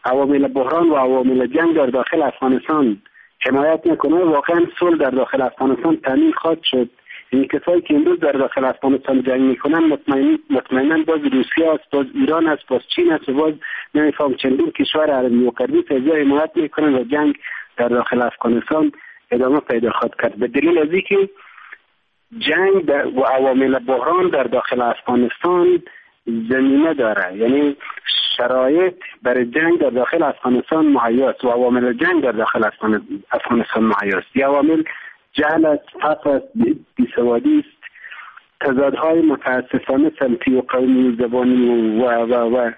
عوامل بحران و عوامل جنگ در داخل افغانستان حمایت نکنه، واقعا صلح در داخل افغانستان تامین خواهد شد. این کسایی که امروز در داخل افغانستان جنگ میکنن مطمئن مطمئنا باز روسیه است، باز ایران است، باز چین است، باز نمیفهم چندین کشور عربی و غربی که از حمایت میکنن و جنگ در داخل افغانستان ادامه پیدا خواهد کرد. به دلیل از اینکه جنگ در و عوامل بحران در داخل افغانستان زمینه داره، یعنی شرایط برای جنگ در داخل افغانستان مهیا است و عوامل جنگ در داخل افغانستان مهیا است. یه عوامل جهل است، فقر است، بیسوادی است، تضادهای متاسفانه سمتی و قومی و زبانی و و و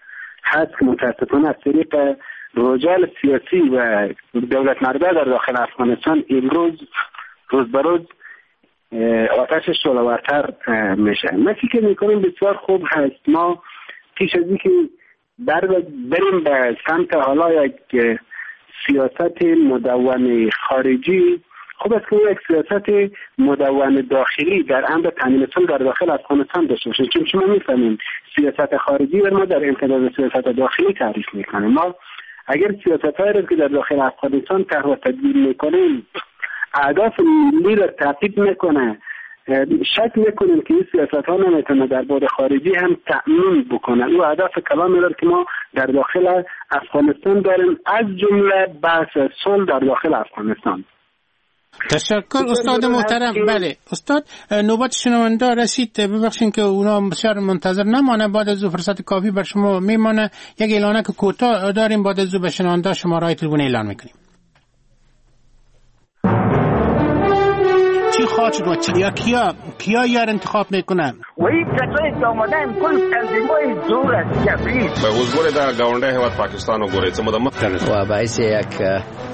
هست که متاسفانه از طریق رجال سیاسی و دولت مرده در داخل افغانستان امروز روز به روز آتش شعله‌ورتر میشه. من فکر میکنم بسیار خوب هست ما پیش از اینکه بر بریم به سمت حالا یک سیاست مدون خارجی، خوب است که یک سیاست مدون داخلی در امر تامین صلح در داخل افغانستان داشته باشیم، چون شما میفهمیم سیاست خارجی بر ما در امتداد سیاست داخلی تعریف میکنه. ما اگر سیاست‌هایی را که در داخل افغانستان طرح و تدبیر میکنیم اهداف ملی را تعقیب میکنه، شک میکنیم که این سیاست ها نمیتونه در بعد خارجی هم تأمین بکنه او اهداف کلامی را که ما در داخل افغانستان داریم، از جمله بحث صلح در داخل افغانستان. تشکر استاد محترم. بله استاد، نوبت شنونده رسید، ببخشین که اونا بسیار منتظر نمانه، بعد از او فرصت کافی بر شما میمانه. یک اعلانه که کوتاه داریم، بعد از او به شنونده شماره تلفن اعلان میکنیم. چی خواهد شد و چی یا کیا کیا یار انتخاب میکنن؟ و این کسایی که آمدن کل تنظیمای زور است جبری به اوس ګوره دا گاونډی هیواد پاکستان وګورئ څه موده مخکې و باعث یک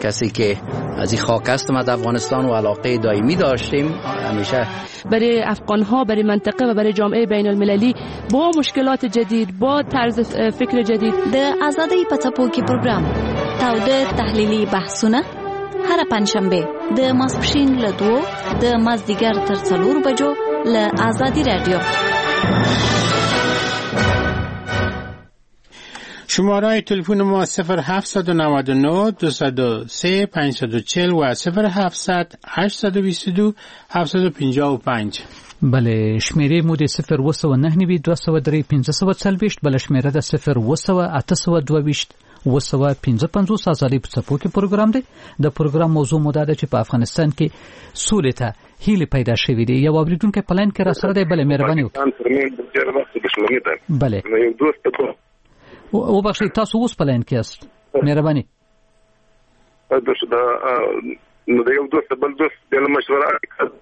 کسی که از این خاک هستم از افغانستان و علاقه دائمی داشتیم همیشه برای افغان ها، برای منطقه و برای جامعه بین المللی با مشکلات جدید، با طرز فکر جدید. د ازادۍ په څپو کې پروګرام تاوده تحلیلي بحثونه هره پنجشنبه د ماسپښین له دوو د مازدیګر تر څلورو بجو له ازادي رادیو. شماره تلفن ما صفر هفت نه نه دو سه پنج چهار و صفر هفت هشت دو دو هفت پنج پنج. بله، شمیرې مو د صفر اووه سوه نهه نوي دوه سوه درې پنځه سوه څلوېښت، بله شمیره ده صفر اووه سوه اته سوه دوه ویشت اووه سوه پنځه پنځوس. ازادۍ په څپو کې پروګرام دی. د پروګرام موضوع مو دا ده چې په افغانستان کې سولې ته هیلې پیدا شوې دي. یو اورېدونکی په لاین کې راسره دی. بله، مهرباني وکړئ. بله، وبخښئ، تاسو اوس په لاین کې یاست، مهرباني. نو د یو دوست بل دوست د مشوره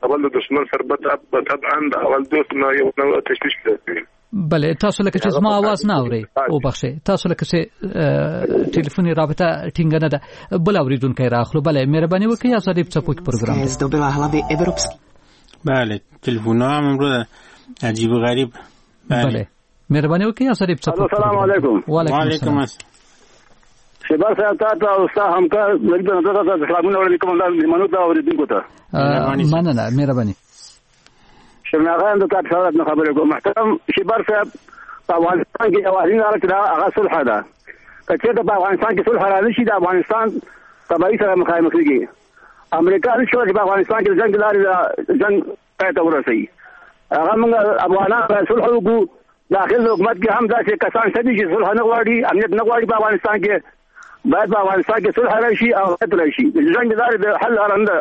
اول د دشمن سره طبعا د اول دوست نه یو نوع تشویش کوي. بله، تاسو لکه چې زما आवाज نه اورئ، وبخښئ، تاسو لکه چې ټلیفوني رابطه ټینګه نه ده. بل اوریدونکی راخلو. بله، مهرباني وکړئ، ازادي په څپو کې پروګرام دی. بله، تلفن هم امروز عجیب و غریب. بله، مهرباني وکړئ، ازادي په څپو. السلام علیکم. وعلیکم السلام. شباب صاحب تاسو او ستا همکار نبی نظر ته سلامونه وړاندې کوم، مېلمنو ته اورېدونکو ته. مننه، مهرباني. شرناغان د تاسو سره نه خبرې کوم. محترم شباب صاحب، په افغانستان کې یوازینۍ لاره چې دا هغه صلح ده. که چېرته په افغانستان کې صلح رانه شي، د افغانستان تباهي سره مخامخ کېږي. امریکا نشي کولای چې په افغانستان کې د جنګ لارې جنګ پای ته ورسوي. هغه موږ افغانان باید صلح وکړو. داخل حکومت کې هم داسې کسان شته دي چې صلح نه غواړي، امنیت نه غواړي. په افغانستان کې باید په افغانستان کې صلح راشي او امنیت راشي. جنګ لارې د حل لاره نه ده.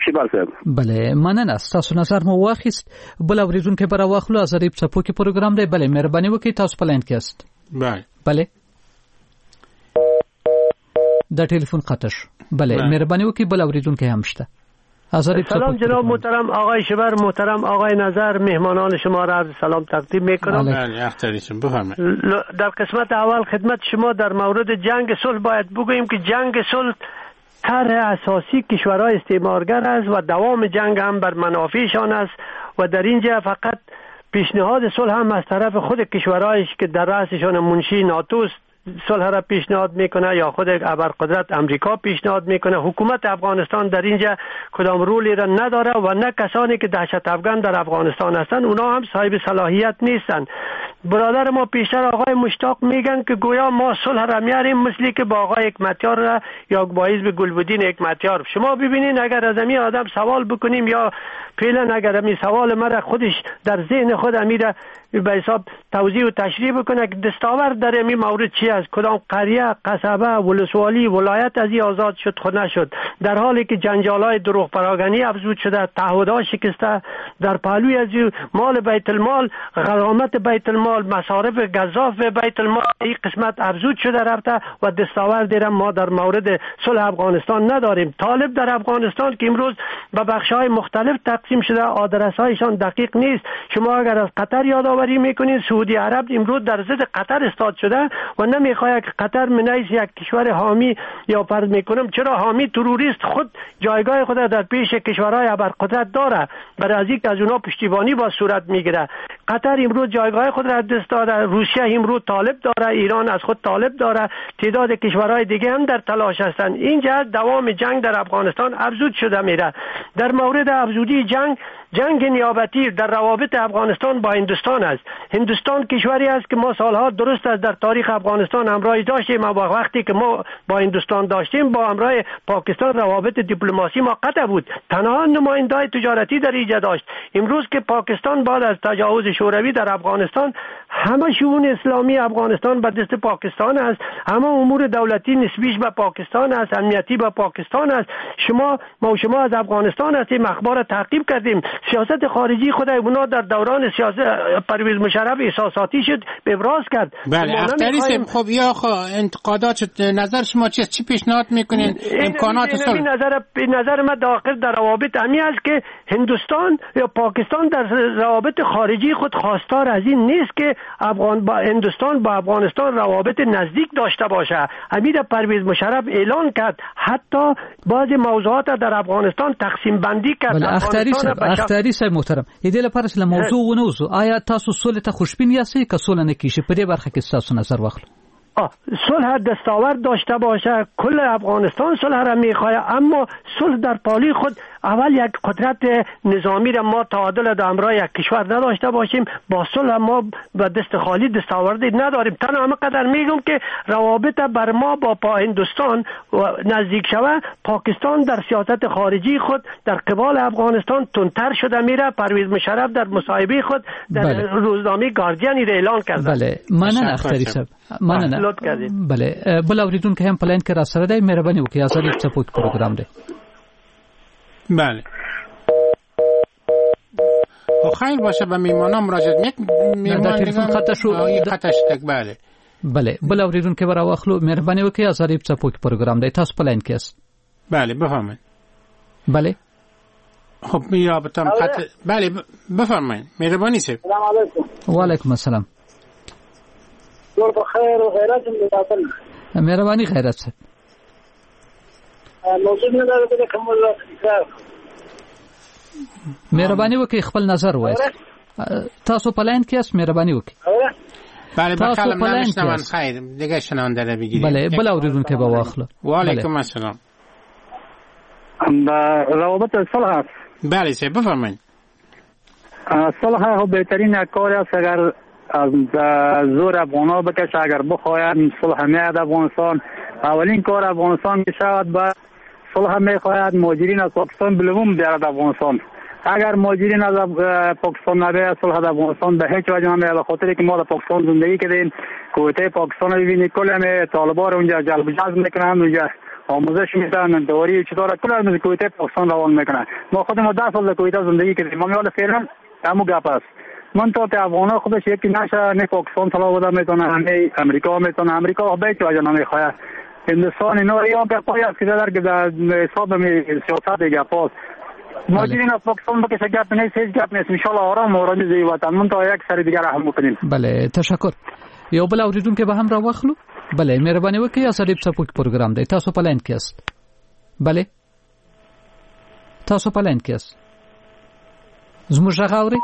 شباب صاحب. بله، مننه، ستاسو نظر مو واخیست. بل اوریدونکی به راواخلو. ازادي په څپو کې پروګرام دی. بله، مهرباني وکړئ، تاسو په لاین کې یاست. بله بله، دا ټلیفون قطع شو. بله، مهرباني وکړئ، بل اوریدونکی هم شته. سلام جناب محترم آقای شبر، محترم آقای نظر، مهمانان شما را عرض سلام تقدیم میکنم. در قسمت اول خدمت شما در مورد جنگ صلح باید بگوییم که جنگ صلح طرح اساسی کشورهای استعمارگر است و دوام جنگ هم بر منافعشان است و در اینجا فقط پیشنهاد صلح هم از طرف خود کشورهایش که در رأسشان منشی ناتوست صلح را پیشنهاد میکنه یا خود ابرقدرت امریکا پیشنهاد میکنه. حکومت افغانستان در اینجا کدام رولی را نداره و نه کسانی که دهشت افغان در افغانستان هستند اونا هم صاحب صلاحیت نیستند. برادر ما پیشتر آقای مشتاق میگن که گویا ما صلح را میاریم، مثلی که با آقای حکمتیار را یا با حزب گلبدین حکمتیار. شما ببینین اگر از امی آدم سوال بکنیم یا فعلا اگر امی سوال مرا خودش در ذهن خود امیره به حساب توضیح و تشریح بکنه که دستاورد در امی مورد چی است، کدام قریه، قصبه، ولسوالی، ولایت از این آزاد شد خود نشد، در حالی که جنجال‌های دروغ پراگنی افزود شده، تعهدها شکسته، در پهلوی از مال بیت المال، غرامت بیت المال، مصارف گزاف بیت المال این قسمت افزود شده رفته و دستاورد را ما در مورد صلح افغانستان نداریم. طالب در افغانستان که امروز به بخش‌های مختلف تقسیم شده، آدرس‌هایشان دقیق نیست. شما اگر از قطر یادآوری یادآوری میکنین سعودی عرب امروز در ضد قطر استاد شده و نمیخواهد که قطر منیس یک کشور حامی یا فرض میکنم چرا حامی تروریست خود جایگاه خود در پیش کشورهای ابرقدرت داره، برای از اینکه از اونا پشتیبانی با صورت میگیره. قطر امروز جایگاه خود را دست داده، روسیه امروز طالب داره، ایران از خود طالب داره، تعداد کشورهای دیگه هم در تلاش هستند. این جهت دوام جنگ در افغانستان افزود شده میره. در مورد افزودی جنگ، جنگ نیابتی در روابط افغانستان با هندوستان است. هندوستان کشوری است که ما سالها درست است در تاریخ افغانستان همراهی داشتیم، اما وقتی که ما با هندوستان داشتیم با همراه پاکستان روابط دیپلماسی ما قطع بود، تنها نماینده‌های تجارتی در اینجا داشت. امروز که پاکستان بعد از تجاوز شوروی در افغانستان همه شئون اسلامی افغانستان به دست پاکستان است، همه امور دولتی نسبیش به پاکستان است، امنیتی به پاکستان است. شما ما و شما از افغانستان هستیم، اخبار تعقیب کردیم، سیاست خارجی خود اونا در دوران سیاست پرویز مشرف احساساتی شد، ابراز کرد. بله اختری صاحب، خب یا خو انتقادات نظر شما چیست؟ چی پیشنهاد میکنین؟ امکانات صلح؟ نظر نظر من داخل در روابط امی است که هندوستان یا پاکستان در روابط خارجی خود خواستار از این نیست که افغان با هندوستان با افغانستان روابط نزدیک داشته باشه. امیر پرویز مشرف اعلان کرد، حتی بعضی موضوعات در افغانستان تقسیم بندی کرد. بله اختری صاحب، اختری صاحب محترم، دې لپاره چې له موضوع ونه وځو، آیا تاسو سولې ته خوشبین یاست که سوله نه کیږي؟ په دې برخه کې ستاسو نظر واخلو. صلح دستاورد داشته باشه، کل افغانستان صلح را میخواه، اما صلح در پالی خود اول یک قدرت نظامی را ما تعادل در همراه یک کشور نداشته باشیم، با صلح ما به دست خالی دستاوردی نداریم. تنها همه قدر میگم که روابط بر ما با پا هندوستان نزدیک شوه، پاکستان در سیاست خارجی خود در قبال افغانستان تندتر شده میره. پرویز مشرف در مصاحبه خود در بله. روزنامه گاردین را اعلان کرد. بله مننه اختری صاحب، مننه. بله بل اوریدونکی هم په لاین کې را سره دی، مهرباني وکړئ، ازادي څپو کې پروګرام دی. بله خیر باشه، به میمانان مراجعه یک میمان تلفن قطع شو، قطع شد. بله بله بل اوریدونکی به راواخلو، مهرباني وکړئ، ازادي څپو کې پروګرام دی، تاسو په لاین کې یاست. بله بفرمایید. بله خب رابطه قطع. بله بفرمایید، مهرباني صاحب. السلام علیکم. و علیکم السلام. ټول په خیر او غیرت مې مهرباني غیرت صاحب. موضوع نه ده کوم مهرباني وکړئ خپل نظر وایاست. تاسو په لاین کې یاست، مهرباني وکړئ. بله بخلم نمیشنون، خیر دیگه شنونده رو بگیریم. بله بل اوریدونکی به واخلو. و علیکم السلام. روابط صلح است. بله صاحب بفرمایید. صلح خب بهترین کار است، اگر از زور افغان‌ها بکشه، اگر بخواهند صلح میاد افغانستان، اولین کار افغانستان میشود با صلح میخواهد مهاجرین از پاکستان بلوم بیارد افغانستان. اگر مهاجرین از پاکستان نبیاد صلح در افغانستان به هیچ وجه نمیاد، به خاطر که ما در پاکستان زندگی کردیم، کویته پاکستان رو ببینید کل همه طالبان رو اونجا جلب جذب میکنن، اونجا آموزش میدن، دوری چطور کل از کویته پاکستان روان میکنن. ما خودمون ده سال در کویته زندگی کردیم، ما حالا فعلا همون گپ است. من تا افغان خودش یکی نشه، نه پاکستان طلا بوده میتونه، نه امریکا میتونه، امریکا به هیچ وجه نمیخواد، هندوستان اینا یا گپای است که در حساب می سیاست گپاست. مهاجرین از پاکستان بکشه گپ نیست، هیچ گپ نیست، ان شاء الله آرام آرامی زی وطن من تا یک سر دیگر هم بکنیم. بله تشکر. یو بل اوریدونکی به هم را واخلو. بله مهرباني وکړئ، ازادي څپو کې پروګرام دی، تاسو په لاین کې یاست. بله تاسو په لاین کې یاست، زموږ غږ اورئ؟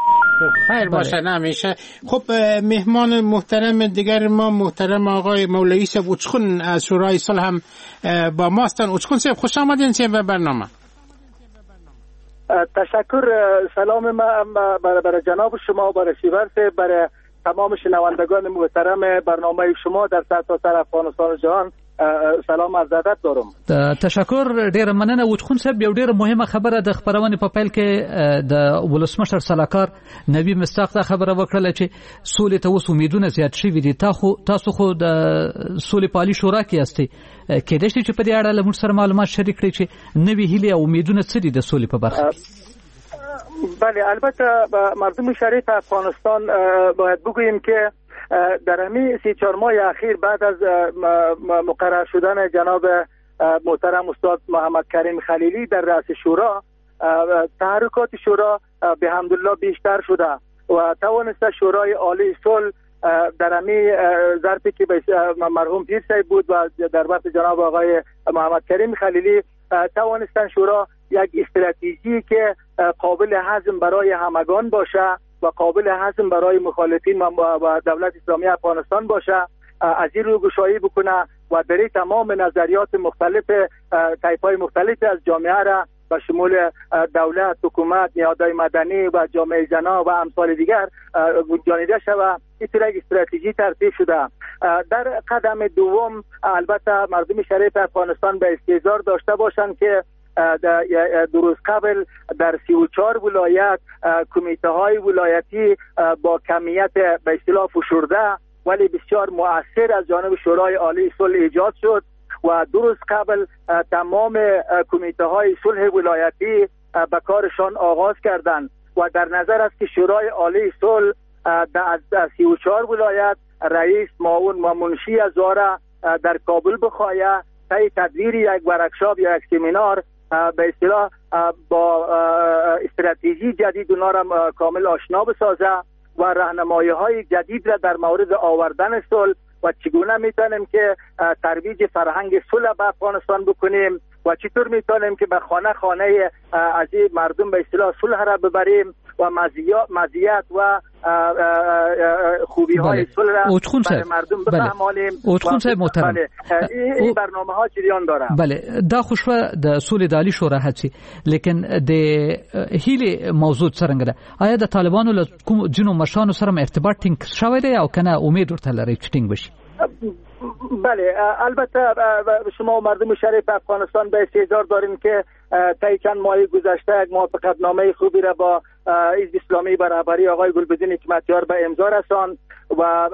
خیر باشه نمیشه. خب مهمان محترم دیگر ما محترم آقای مولوی صاحب اوچخون از شورای صلح هم با ما هستند. اوچخون صاحب خوش آمدین صاحب به برنامه. تشکر، سلام ما برای جناب شما، برای شیور صاحب، برای تمام شنوندگان محترم برنامه شما در سرتاسر افغانستان و جهان سلام عرض ادب دارم. تشکر، ډیره مننه. اوچخون صاحب یو ډیره مهمه خبره د خبرونې په پیل کې د ولسمشر سلاکار نبی مصداق دا خبره وکړه چې سولې ته اوس امیدونه زیات شوي دي. تاسو خو د سولې په عالي شورا کې یاستئ، کېدای شي چې په دې اړه له موږ سره معلومات شریک کړئ چې نوې هیلې او امیدونه څه دي د سولې په برخه کې؟ بله البته مردم شریف افغانستان باید بگوییم که در همین سی چهار ماه اخیر بعد از مقرر شدن جناب محترم استاد محمد کریم خلیلی در رأس شورا، تحرکات شورا به حمدالله بیشتر شده. و توانسته شورای عالی صلح در امی ظرفی که مرحوم پیر صاحب بود و در وقت جناب آقای محمد کریم خلیلی توانستن شورا یک استراتژی که قابل هضم برای همگان باشه و قابل هضم برای مخالفین و دولت اسلامی افغانستان باشه از این رو گشایی بکنه و در تمام نظریات مختلف طیف‌های مختلف از جامعه را به شمول دولت، حکومت، نهادهای مدنی و جامعه زنا و امثال دیگر گنجانیده شود. این یک استراتژی ترتیب شده. در قدم دوم البته مردم شریف افغانستان به استیضاح داشته باشند که دو روز قبل در سی و چهار ولایت کمیته های ولایتی با کمیت به اصطلاح فشرده ولی بسیار مؤثر از جانب شورای عالی صلح ایجاد شد و دو روز قبل تمام کمیته های صلح ولایتی به کارشان آغاز کردند و در نظر است که شورای عالی صلح در سی و چهار ولایت رئیس، معاون و منشی از آن در کابل بخواهد طی تدویر یک ورکشاپ یا یک سمینار به اصطلاح با استراتژی جدید اونا را کامل آشنا بسازه و راهنمایی های جدید را در مورد آوردن صلح و چگونه میتونیم که ترویج فرهنگ صلح به افغانستان بکنیم و چطور میتونیم که به خانه خانه از مردم به اصطلاح صلح را ببریم و مزیت و خوبی های صلح را برای مردم بفهمانیم. اوتخون صاحب محترم، این برنامه ها جریان داره. بله، دا خو شوه د سولې د عالي شورا هڅې، لیکن د هیلې موضوع څرنګه ده؟ آیا د طالبانو له کوم ځینو مشرانو سره ارتباط ټینګ شوی دی او کنه امید ورته لرئ چې ټینګ بشي؟ بله، البته شما و مردم شریف افغانستان به استحضار داریم که طی چند ماه گذشته یک موافقتنامه خوبی را با حزب اسلامی به رهبری آقای گلبدین حکمتیار به امضا رساند و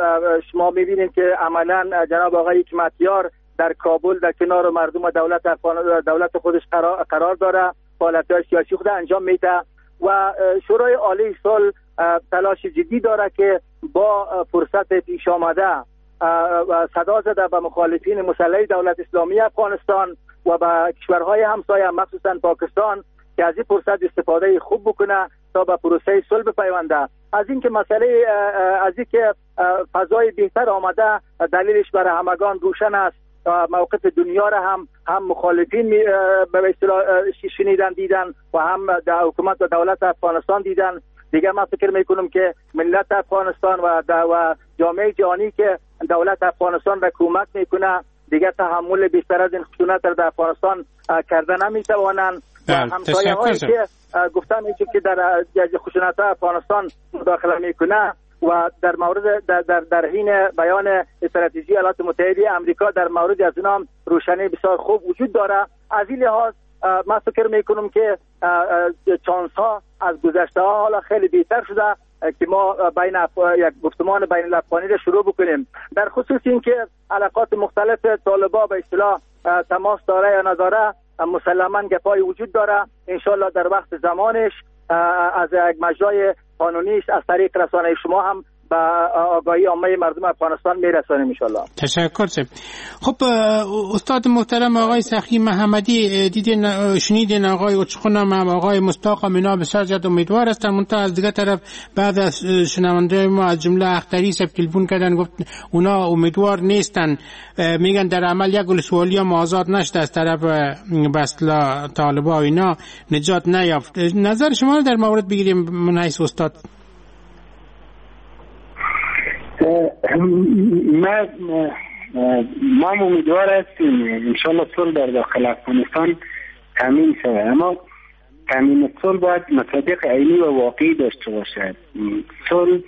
شما می‌بینید که عملاً جناب آقای حکمتیار در کابل در کنار مردم و دولت افغان دولت خودش قرار, قرار داره، فعالیت‌های سیاسی خود انجام میده و شورای عالی صلح تلاش جدی داره که با فرصت پیش آمده صدا زده به مخالفین مسلح دولت اسلامی افغانستان و به کشورهای همسایه مخصوصا پاکستان که از این فرصت استفاده خوب بکنه تا به پروسه صلح بپیونده. از اینکه مسئله از اینکه فضای بهتر آمده دلیلش برای همگان روشن است. موقف دنیا را هم هم مخالفین به اصطلاح شنیدن دیدن و هم در حکومت و دولت افغانستان دیدن. دیگه من فکر میکنم که ملت افغانستان و و جامعه جهانی که دولت افغانستان را کمک میکنه دیگه تحمل بیشتر از این خشونت را در افغانستان کرده نمیتوانند. و همسایه هایی که گفتم که در خشونت افغانستان مداخله میکنه و در مورد در در, در حین بیان استراتژی ایالات متحده آمریکا در مورد از اینا روشنی بسیار خوب وجود داره. از این لحاظ من فکر میکنم که چانس ها از گذشته ها حالا خیلی بهتر شده که ما بین اف... یک گفتمان بین الافغانی را شروع بکنیم. در خصوص اینکه علاقات مختلف طالبا به اصطلاح تماس داره یا نداره مسلما گپای وجود داره. انشالله در وقت زمانش از یک مجرای قانونیش از طریق رسانه شما هم به آگاهی عامه مردم افغانستان میرسانیم انشالله. تشکر سب. خب استاد محترم آقای سخی محمدی، دیدین شنیدین آقای اوچخون هم آقای مستاق هم اینا بسیار زیاد امیدوار هستند. منتها از دیگه طرف بعد از شنونده ما از جمله اختری سب تلفن کردن گفت اونا امیدوار نیستن، میگن در عمل یک ولسوالی هم آزاد نشده از طرف به اصطلاح طالبا و اینا نجات نیافت. نظر شما رو در مورد بگیریم من حیث استاد. ما ما امیدوار هستیم انشالله صلح در داخل افغانستان تامین شود، اما تامین صلح باید مصادیق عینی و واقعی داشته باشد. صلح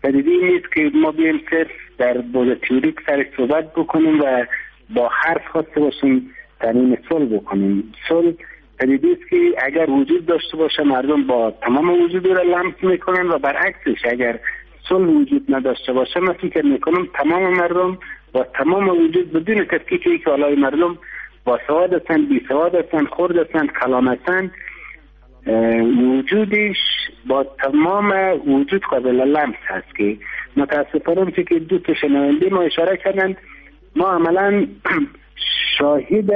پدیده نیست که ما بیایم صرف در بعد تئوریک سر صحبت بکنیم و با حرف خواسته باشیم تامین صلح بکنیم. صلح پدیده است که اگر وجود داشته باشه مردم با تمام وجود را لمس میکنن و برعکسش اگر صلح وجود نداشته باشه من فکر میکنم تمام مردم با تمام وجود بدون تفکیک که حالای مردم با سواد هستند، بی سواد هستند، خرد هستند، کلام هستند، وجودش با تمام وجود قابل لمس هست که متاسفانه که دو تا شنونده ما اشاره کردند ما عملا شاهد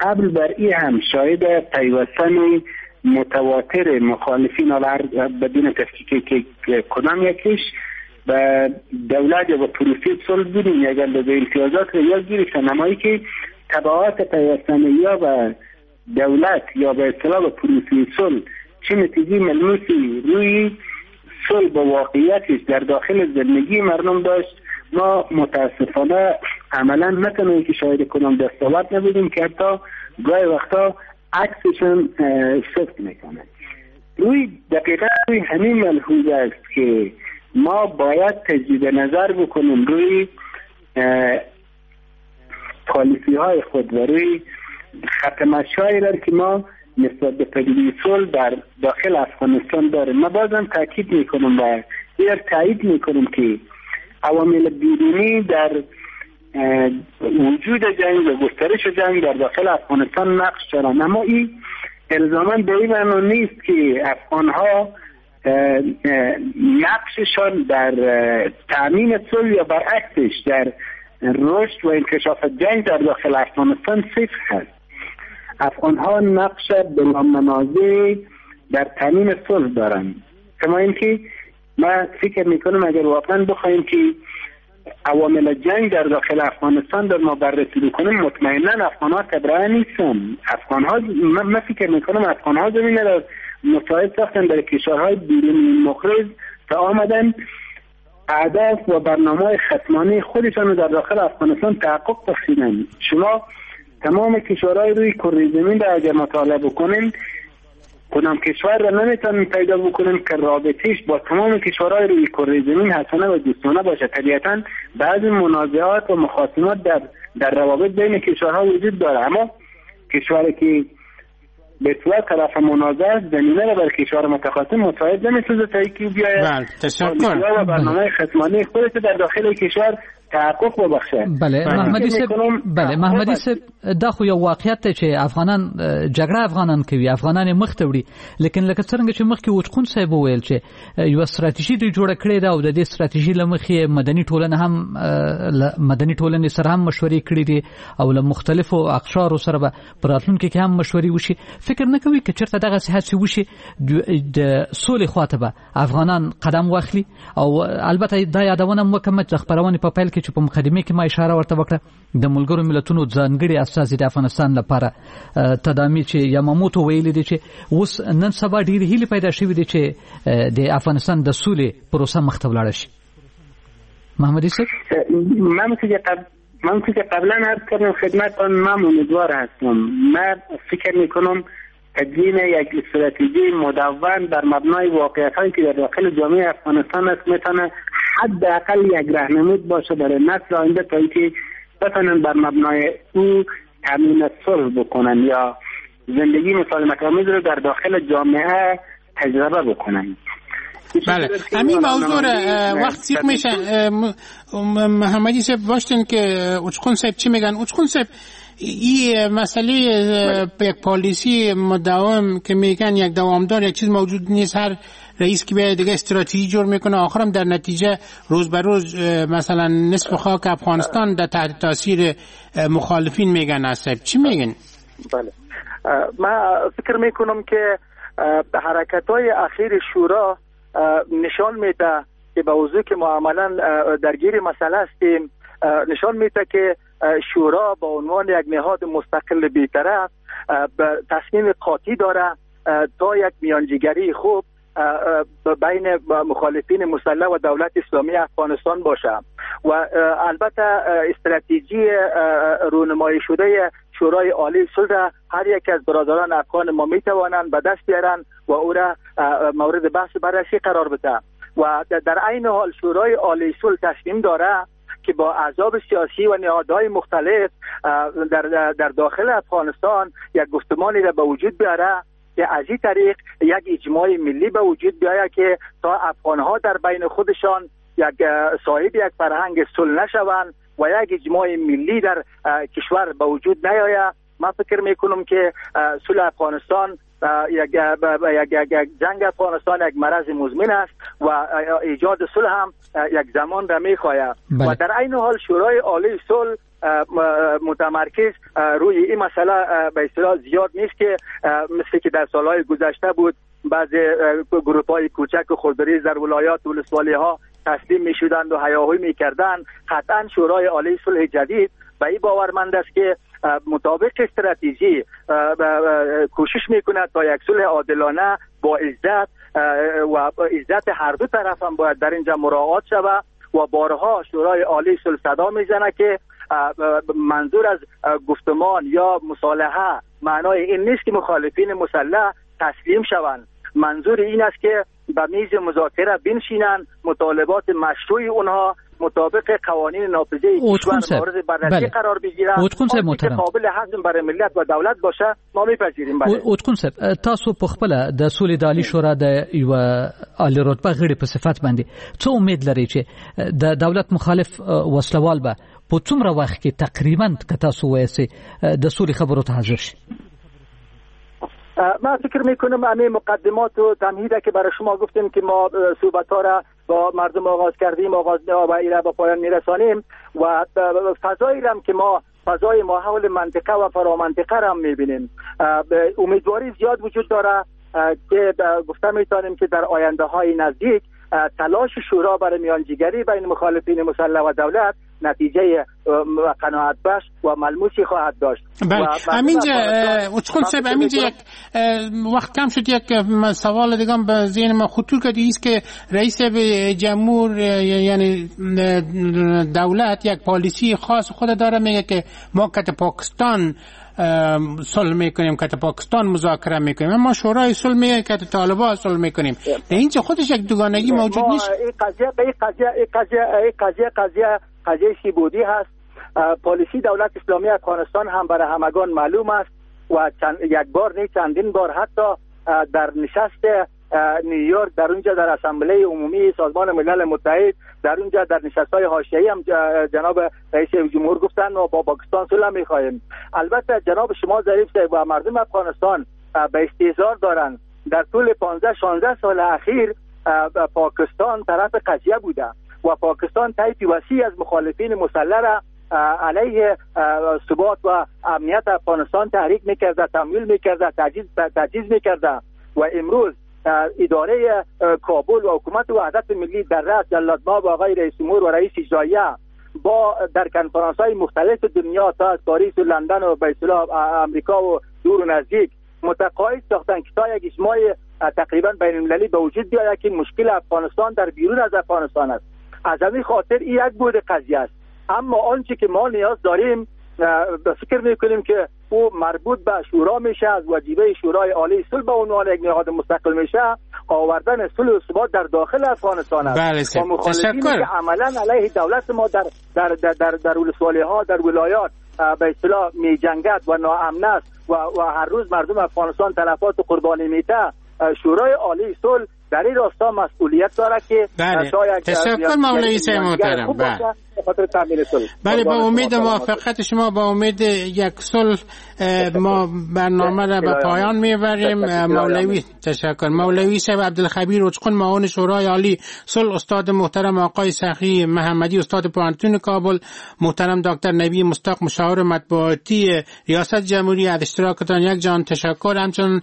قبل بر ای هم شاهد پیوستن متواتر مخالفین بدون تفکیک که کدام یکیش به دولت یا به پروسه صلح بودیم، اگر به امتیازات رو یا گرفتن، اما که تبعات پیوستن یا به دولت یا به اصطلاح به پروسه صلح چه نتیجه ملموسی روی صلح با واقعیتش در داخل زندگی مردم داشت، ما متاسفانه عملا نتونیم که شاهد کنم دستاورد نبودیم که حتی گاهی وقتا عکسشون صدق میکنه. روی دقیقا روی همین ملحوظ است که ما باید تجدید نظر بکنیم روی پالیسی های خود و روی خط مشی را که ما نسبت به پدیده صلح در داخل افغانستان داریم. ما بازم تاکید میکنم و ایر تایید میکنم که عوامل بیرونی در وجود جنگ و گسترش جنگ در داخل افغانستان نقش دارند، اما این الزاماً به این معنا نیست که افغانها نقششان در تأمین صلح یا برعکسش در رشد و انکشاف جنگ در داخل افغانستان صفر هست. افغانها نقش بلا منازع در تأمین صلح دارند. کما اینکه من فکر میکنم اگر واقعا بخوایم که عوامل جنگ در داخل افغانستان در ما بررسی بکنیم، مطمئنا افغانها تبرئه نیستن. افغانها من فکر میکنم افغانها زمینه را مساعد ساختن در کشورهای بیرونی مخرج تا آمدن اهداف و برنامه‌های ختمانه خودشان رو در داخل افغانستان تحقق بخشیدن. شما تمام کشورهای روی کره زمین را اگر مطالعه بکنین، کدام کشور را نمیتونن پیدا بکنن که رابطهش با تمام کشورهای روی کره زمین حسنه و دوستانه باشه. طبیعتا بعضی منازعات و مخاصمات در در روابط بین کشورها وجود داره، اما کشوری که به اصطلاح طرف منازعه است زمینه را بر کشور متخاصم مساعد نمیسازه تا اینکه بیاید. بله، تشکر. و برنامه ختمانه خودش در داخل کشور تحقق وبخشه. بله محمدي صاحب، بله محمدي صاحب، دا خو یو واقعیت دی چې افغانان جګړه افغانان کوي، افغانان یې مخ ته وړي، لیکن لکه څرنګه چې مخکې اوچقون صاحب وویل چې یوه ستراتیژي دوی جوړه کړې ده او د دې ستراتیژي له مخې مدني ټولنه هم مدني ټولنې سره هم مشورې کړې دي او له مختلفو اقشارو سره به په راتلونکي کې هم مشورې وشي. فکر نه کوي که چېرته دغسې هڅې وشي د سولې خواته به افغانان قدم واخلي؟ او البته دا یادونه هم وکړم چې د خپرونې په پیل کې چې په مقدمه کې ما اشاره ورته وکړه، د ملګرو ملتونو ځانګړي استازي د افغانستان لپاره تدامي چې یاماموتو ویلي دي چې اوس نن سبا ډېرې هیلې پیدا شوې دي چې د افغانستان د سولې پروسه مخته ولاړه شي. محمدي صاحب، من که قبل من که قبلا عرض کردم خدمتتان، من امیدوار هستم. من فکر میکنم تدوین یک استراتژی مدون بر مبنای واقعیت‌هایی که در داخل جامعه افغانستان است میتونه حداقل یک راهنمود باشه برای نسل آینده تا اینکه بتونن بر مبنای او تامین صلح بکنن یا زندگی مسالمت‌آمیز رو در داخل جامعه تجربه بکنن. بله، همین موضوع وقت سیخ میشه. محمدی صاحب باشتن که اوچقون صاحب چی میگن؟ اوچقون صاحب، این مسئله یک پالیسی مداوم که میگن یک دوامدار یک چیز موجود نیست، هر رئیس که بیاد دیگه استراتژی جور میکنه، آخرم در نتیجه روز به روز مثلا نصف خاک افغانستان در تحت تاثیر مخالفین میگن. صاحب چی میگن؟ بله، من فکر میکنم که حرکت های اخیر شورا نشان میده که به وضوح که ما عملا درگیر مسئله هستیم، نشان میده که شورا به عنوان یک نهاد مستقل بی‌طرف تصمیم قاطع داره تا یک میانجیگری خوب بین مخالفین مسلح و دولت اسلامی افغانستان باشه و البته استراتژی رونمایی شده شورای عالی صلح هر یک از برادران افغان ما می توانند به دست بیارن و او را مورد بحث بررسی قرار بده و در عین حال شورای عالی صلح تصمیم داره که با احزاب سیاسی و نهادهای مختلف در در داخل افغانستان یک گفتمانی را به وجود بیاره که از این طریق یک اجماع ملی به وجود بیاید که تا افغانها در بین خودشان یک صاحب یک فرهنگ صلح نشوند و یک اجماع ملی در کشور به وجود نیاید. من فکر میکنم که صلح افغانستان یک یک جنگ افغانستان یک مرض مزمن است و ایجاد صلح هم یک زمان را میخواهد. و در عین حال شورای عالی صلح متمرکز روی این مسئله به اصطلاح زیاد نیست که مثل که در سالهای گذشته بود، بعض گروپ‌های کوچک و خردریز در ولایات و ولسوالی‌ها تسلیم می‌شدند و هیاهوی می‌کردند. قطعاً شورای عالی صلح جدید به این باورمند است که مطابق استراتژی کوشش می‌کند تا یک صلح عادلانه با عزت و عزت هر دو طرف هم باید در اینجا مراعات شود و بارها شورای عالی صلح صدا میزنه که منظور از گفتمان یا مصالحه معنای این نیست که مخالفین مسلح تسلیم شوند، منظور این است که به میز مذاکره بنشینند، مطالبات مشروع اونها مطابق قوانین نافذه کشور مورد بررسی بله. قرار بگیرند که قابل هضم برای ملت و دولت باشه ما میپذیریم. بله اوتکون صاحب، تاسو په خپل د سولې د عالی شورا د یو عالی رتبه غړي په صفت باندې څه امید لرئ چې د دولت مخالف وسلوال به په څومره وخت کې تقریبا که تاسو وایئ د سولې خبرو ته حاضر شي؟ من فکر میکنم همه مقدمات و تمهیده که برای شما گفتیم که ما صحبت‌ها را با مردم آغاز کردیم، آغاز و ایره با پایان میرسانیم و فضایی را که ما فضای ماحول منطقه و فرامنطقه را هم میبینیم، امیدواری زیاد وجود داره که گفته میتونیم که در آینده های نزدیک تلاش شورا برای میانجیگری بین مخالفین مسلح و دولت نتیجه قناعت بخش و ملموسی خواهد داشت. بله همینجا اوچکل صاحب، همینجا یک وقت کم شد، یک سوال دیگه هم به ذهن ما خطور کرد، ایست که رئیس جمهور یعنی دولت یک پالیسی خاص خود داره، میگه که ما کت پاکستان صلح میکنیم، که پاکستان مذاکره میکنیم، اما شورای صلح میگه که طالبان صلح میکنیم. در اینجا خودش یک دوگانگی موجود نیست. این قضیه این قضیه این قضیه این قضیه قضیه قضیه سیبودی هست. پالیسی دولت اسلامی افغانستان هم برای همگان معلوم است و چند، یک بار نه چندین بار حتی در نشست نیویورک، در اونجا در اسامبله عمومی سازمان ملل متحد، در اونجا در نشست‌های حاشیه‌ای هم جناب رئیس جمهور گفتن ما با پاکستان صلح می‌خواهیم. البته جناب شما ظریف صاحب و مردم افغانستان به استیزار دارند. در طول پانزده شانزده سال اخیر پاکستان طرف قضیه بوده و پاکستان طیف وسیع از مخالفین مسلح را علیه ثبات و امنیت افغانستان تحریک می‌کرده، تمویل می‌کرده، تجهیز تجهیز می‌کرده و امروز اداره کابل و حکومت وحدت ملی در رأس جلالتمآب آقای رئیس جمهور و رئیس اجراییه با در کنفرانس های مختلف دنیا تا از پاریس و لندن و به اصطلاح امریکا و دور و نزدیک متقاعد ساختن که تا یک اجماع تقریبا بین المللی به وجود بیاید که مشکل افغانستان در بیرون از افغانستان است. از همین خاطر این یک بود قضیه است. اما آنچه که ما نیاز داریم فکر میکنیم که او مربوط به شورا میشه، از وجیبه شورای عالی صلح به عنوان یک نهاد مستقل میشه، آوردن صلح و ثبات در داخل افغانستان است. بله تشکر. که عملا علیه دولت ما در در در در, در ولسوالی‌ها، در ولایات به اصطلاح میجنگد و ناامن است و, و هر روز مردم افغانستان تلفات و قربانی میده. شورای عالی صلح در این راستا مسئولیت داره که بله. تشکر مولوی صاحب محترم. بله. بله با امید موافقت شما، با امید یک صلح ما برنامه را به پایان میبریم. مولوی تشکر. مولوی صاحب عبدالخبیر اوچقون معاون شورای عالی صلح، استاد محترم آقای سخی محمدی استاد پوهنتون کابل، محترم دکتر نبی مستاق مشاور مطبوعاتی ریاست جمهوری، از اشتراکتان یک جان تشکر. همچنین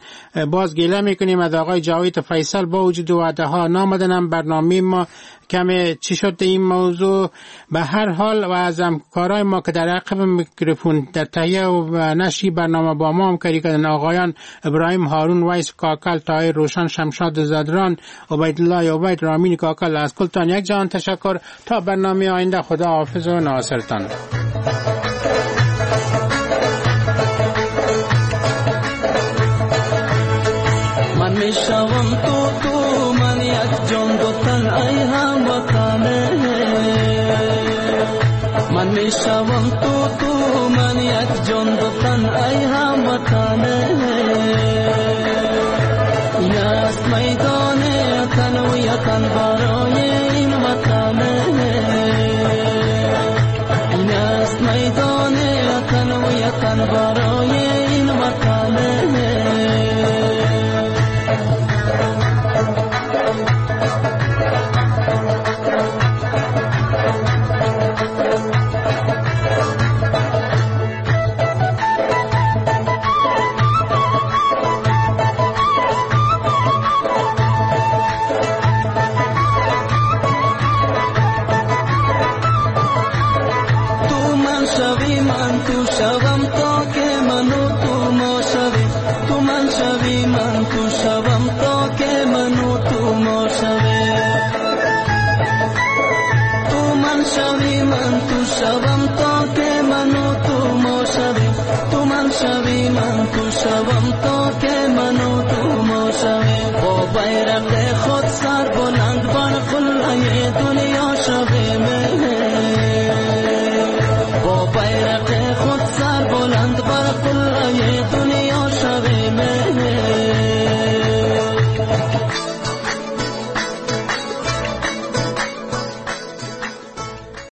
باز گله میکنیم از آقای جاوید فیصل، با وجود وعده ها نامدنم برنامه ما کم چی شد این موضوع. به هر حال و از همکارای ما که در عقب میکروفون در تهیه و نشر برنامه با ما همکاری کردن، آقایان ابراهیم هارون، ویس کاکل، طاهر روشن، شمشاد زدران، عبیدالله عبید، رامین کاکل، از کلتان یک جهان تشکر. تا برنامه آینده خدا حافظ و ناصرتان. من میشوم تو تو من یک جان دو تن ای هم وطنه، من میشوم تو تو من یک جان دو تن ای هم وطنه، این است میدان تن و یتن برای این وطنه، این است میدان تن و یتن برای این وطنه. من تو شوم تا که من و تو ما شویم، تو من شوی من تو شوم تا که من و تو ما شویم، تو من شوی من تو شوم تا که من و تو ما شویم، تو من شوی من تو شوم تا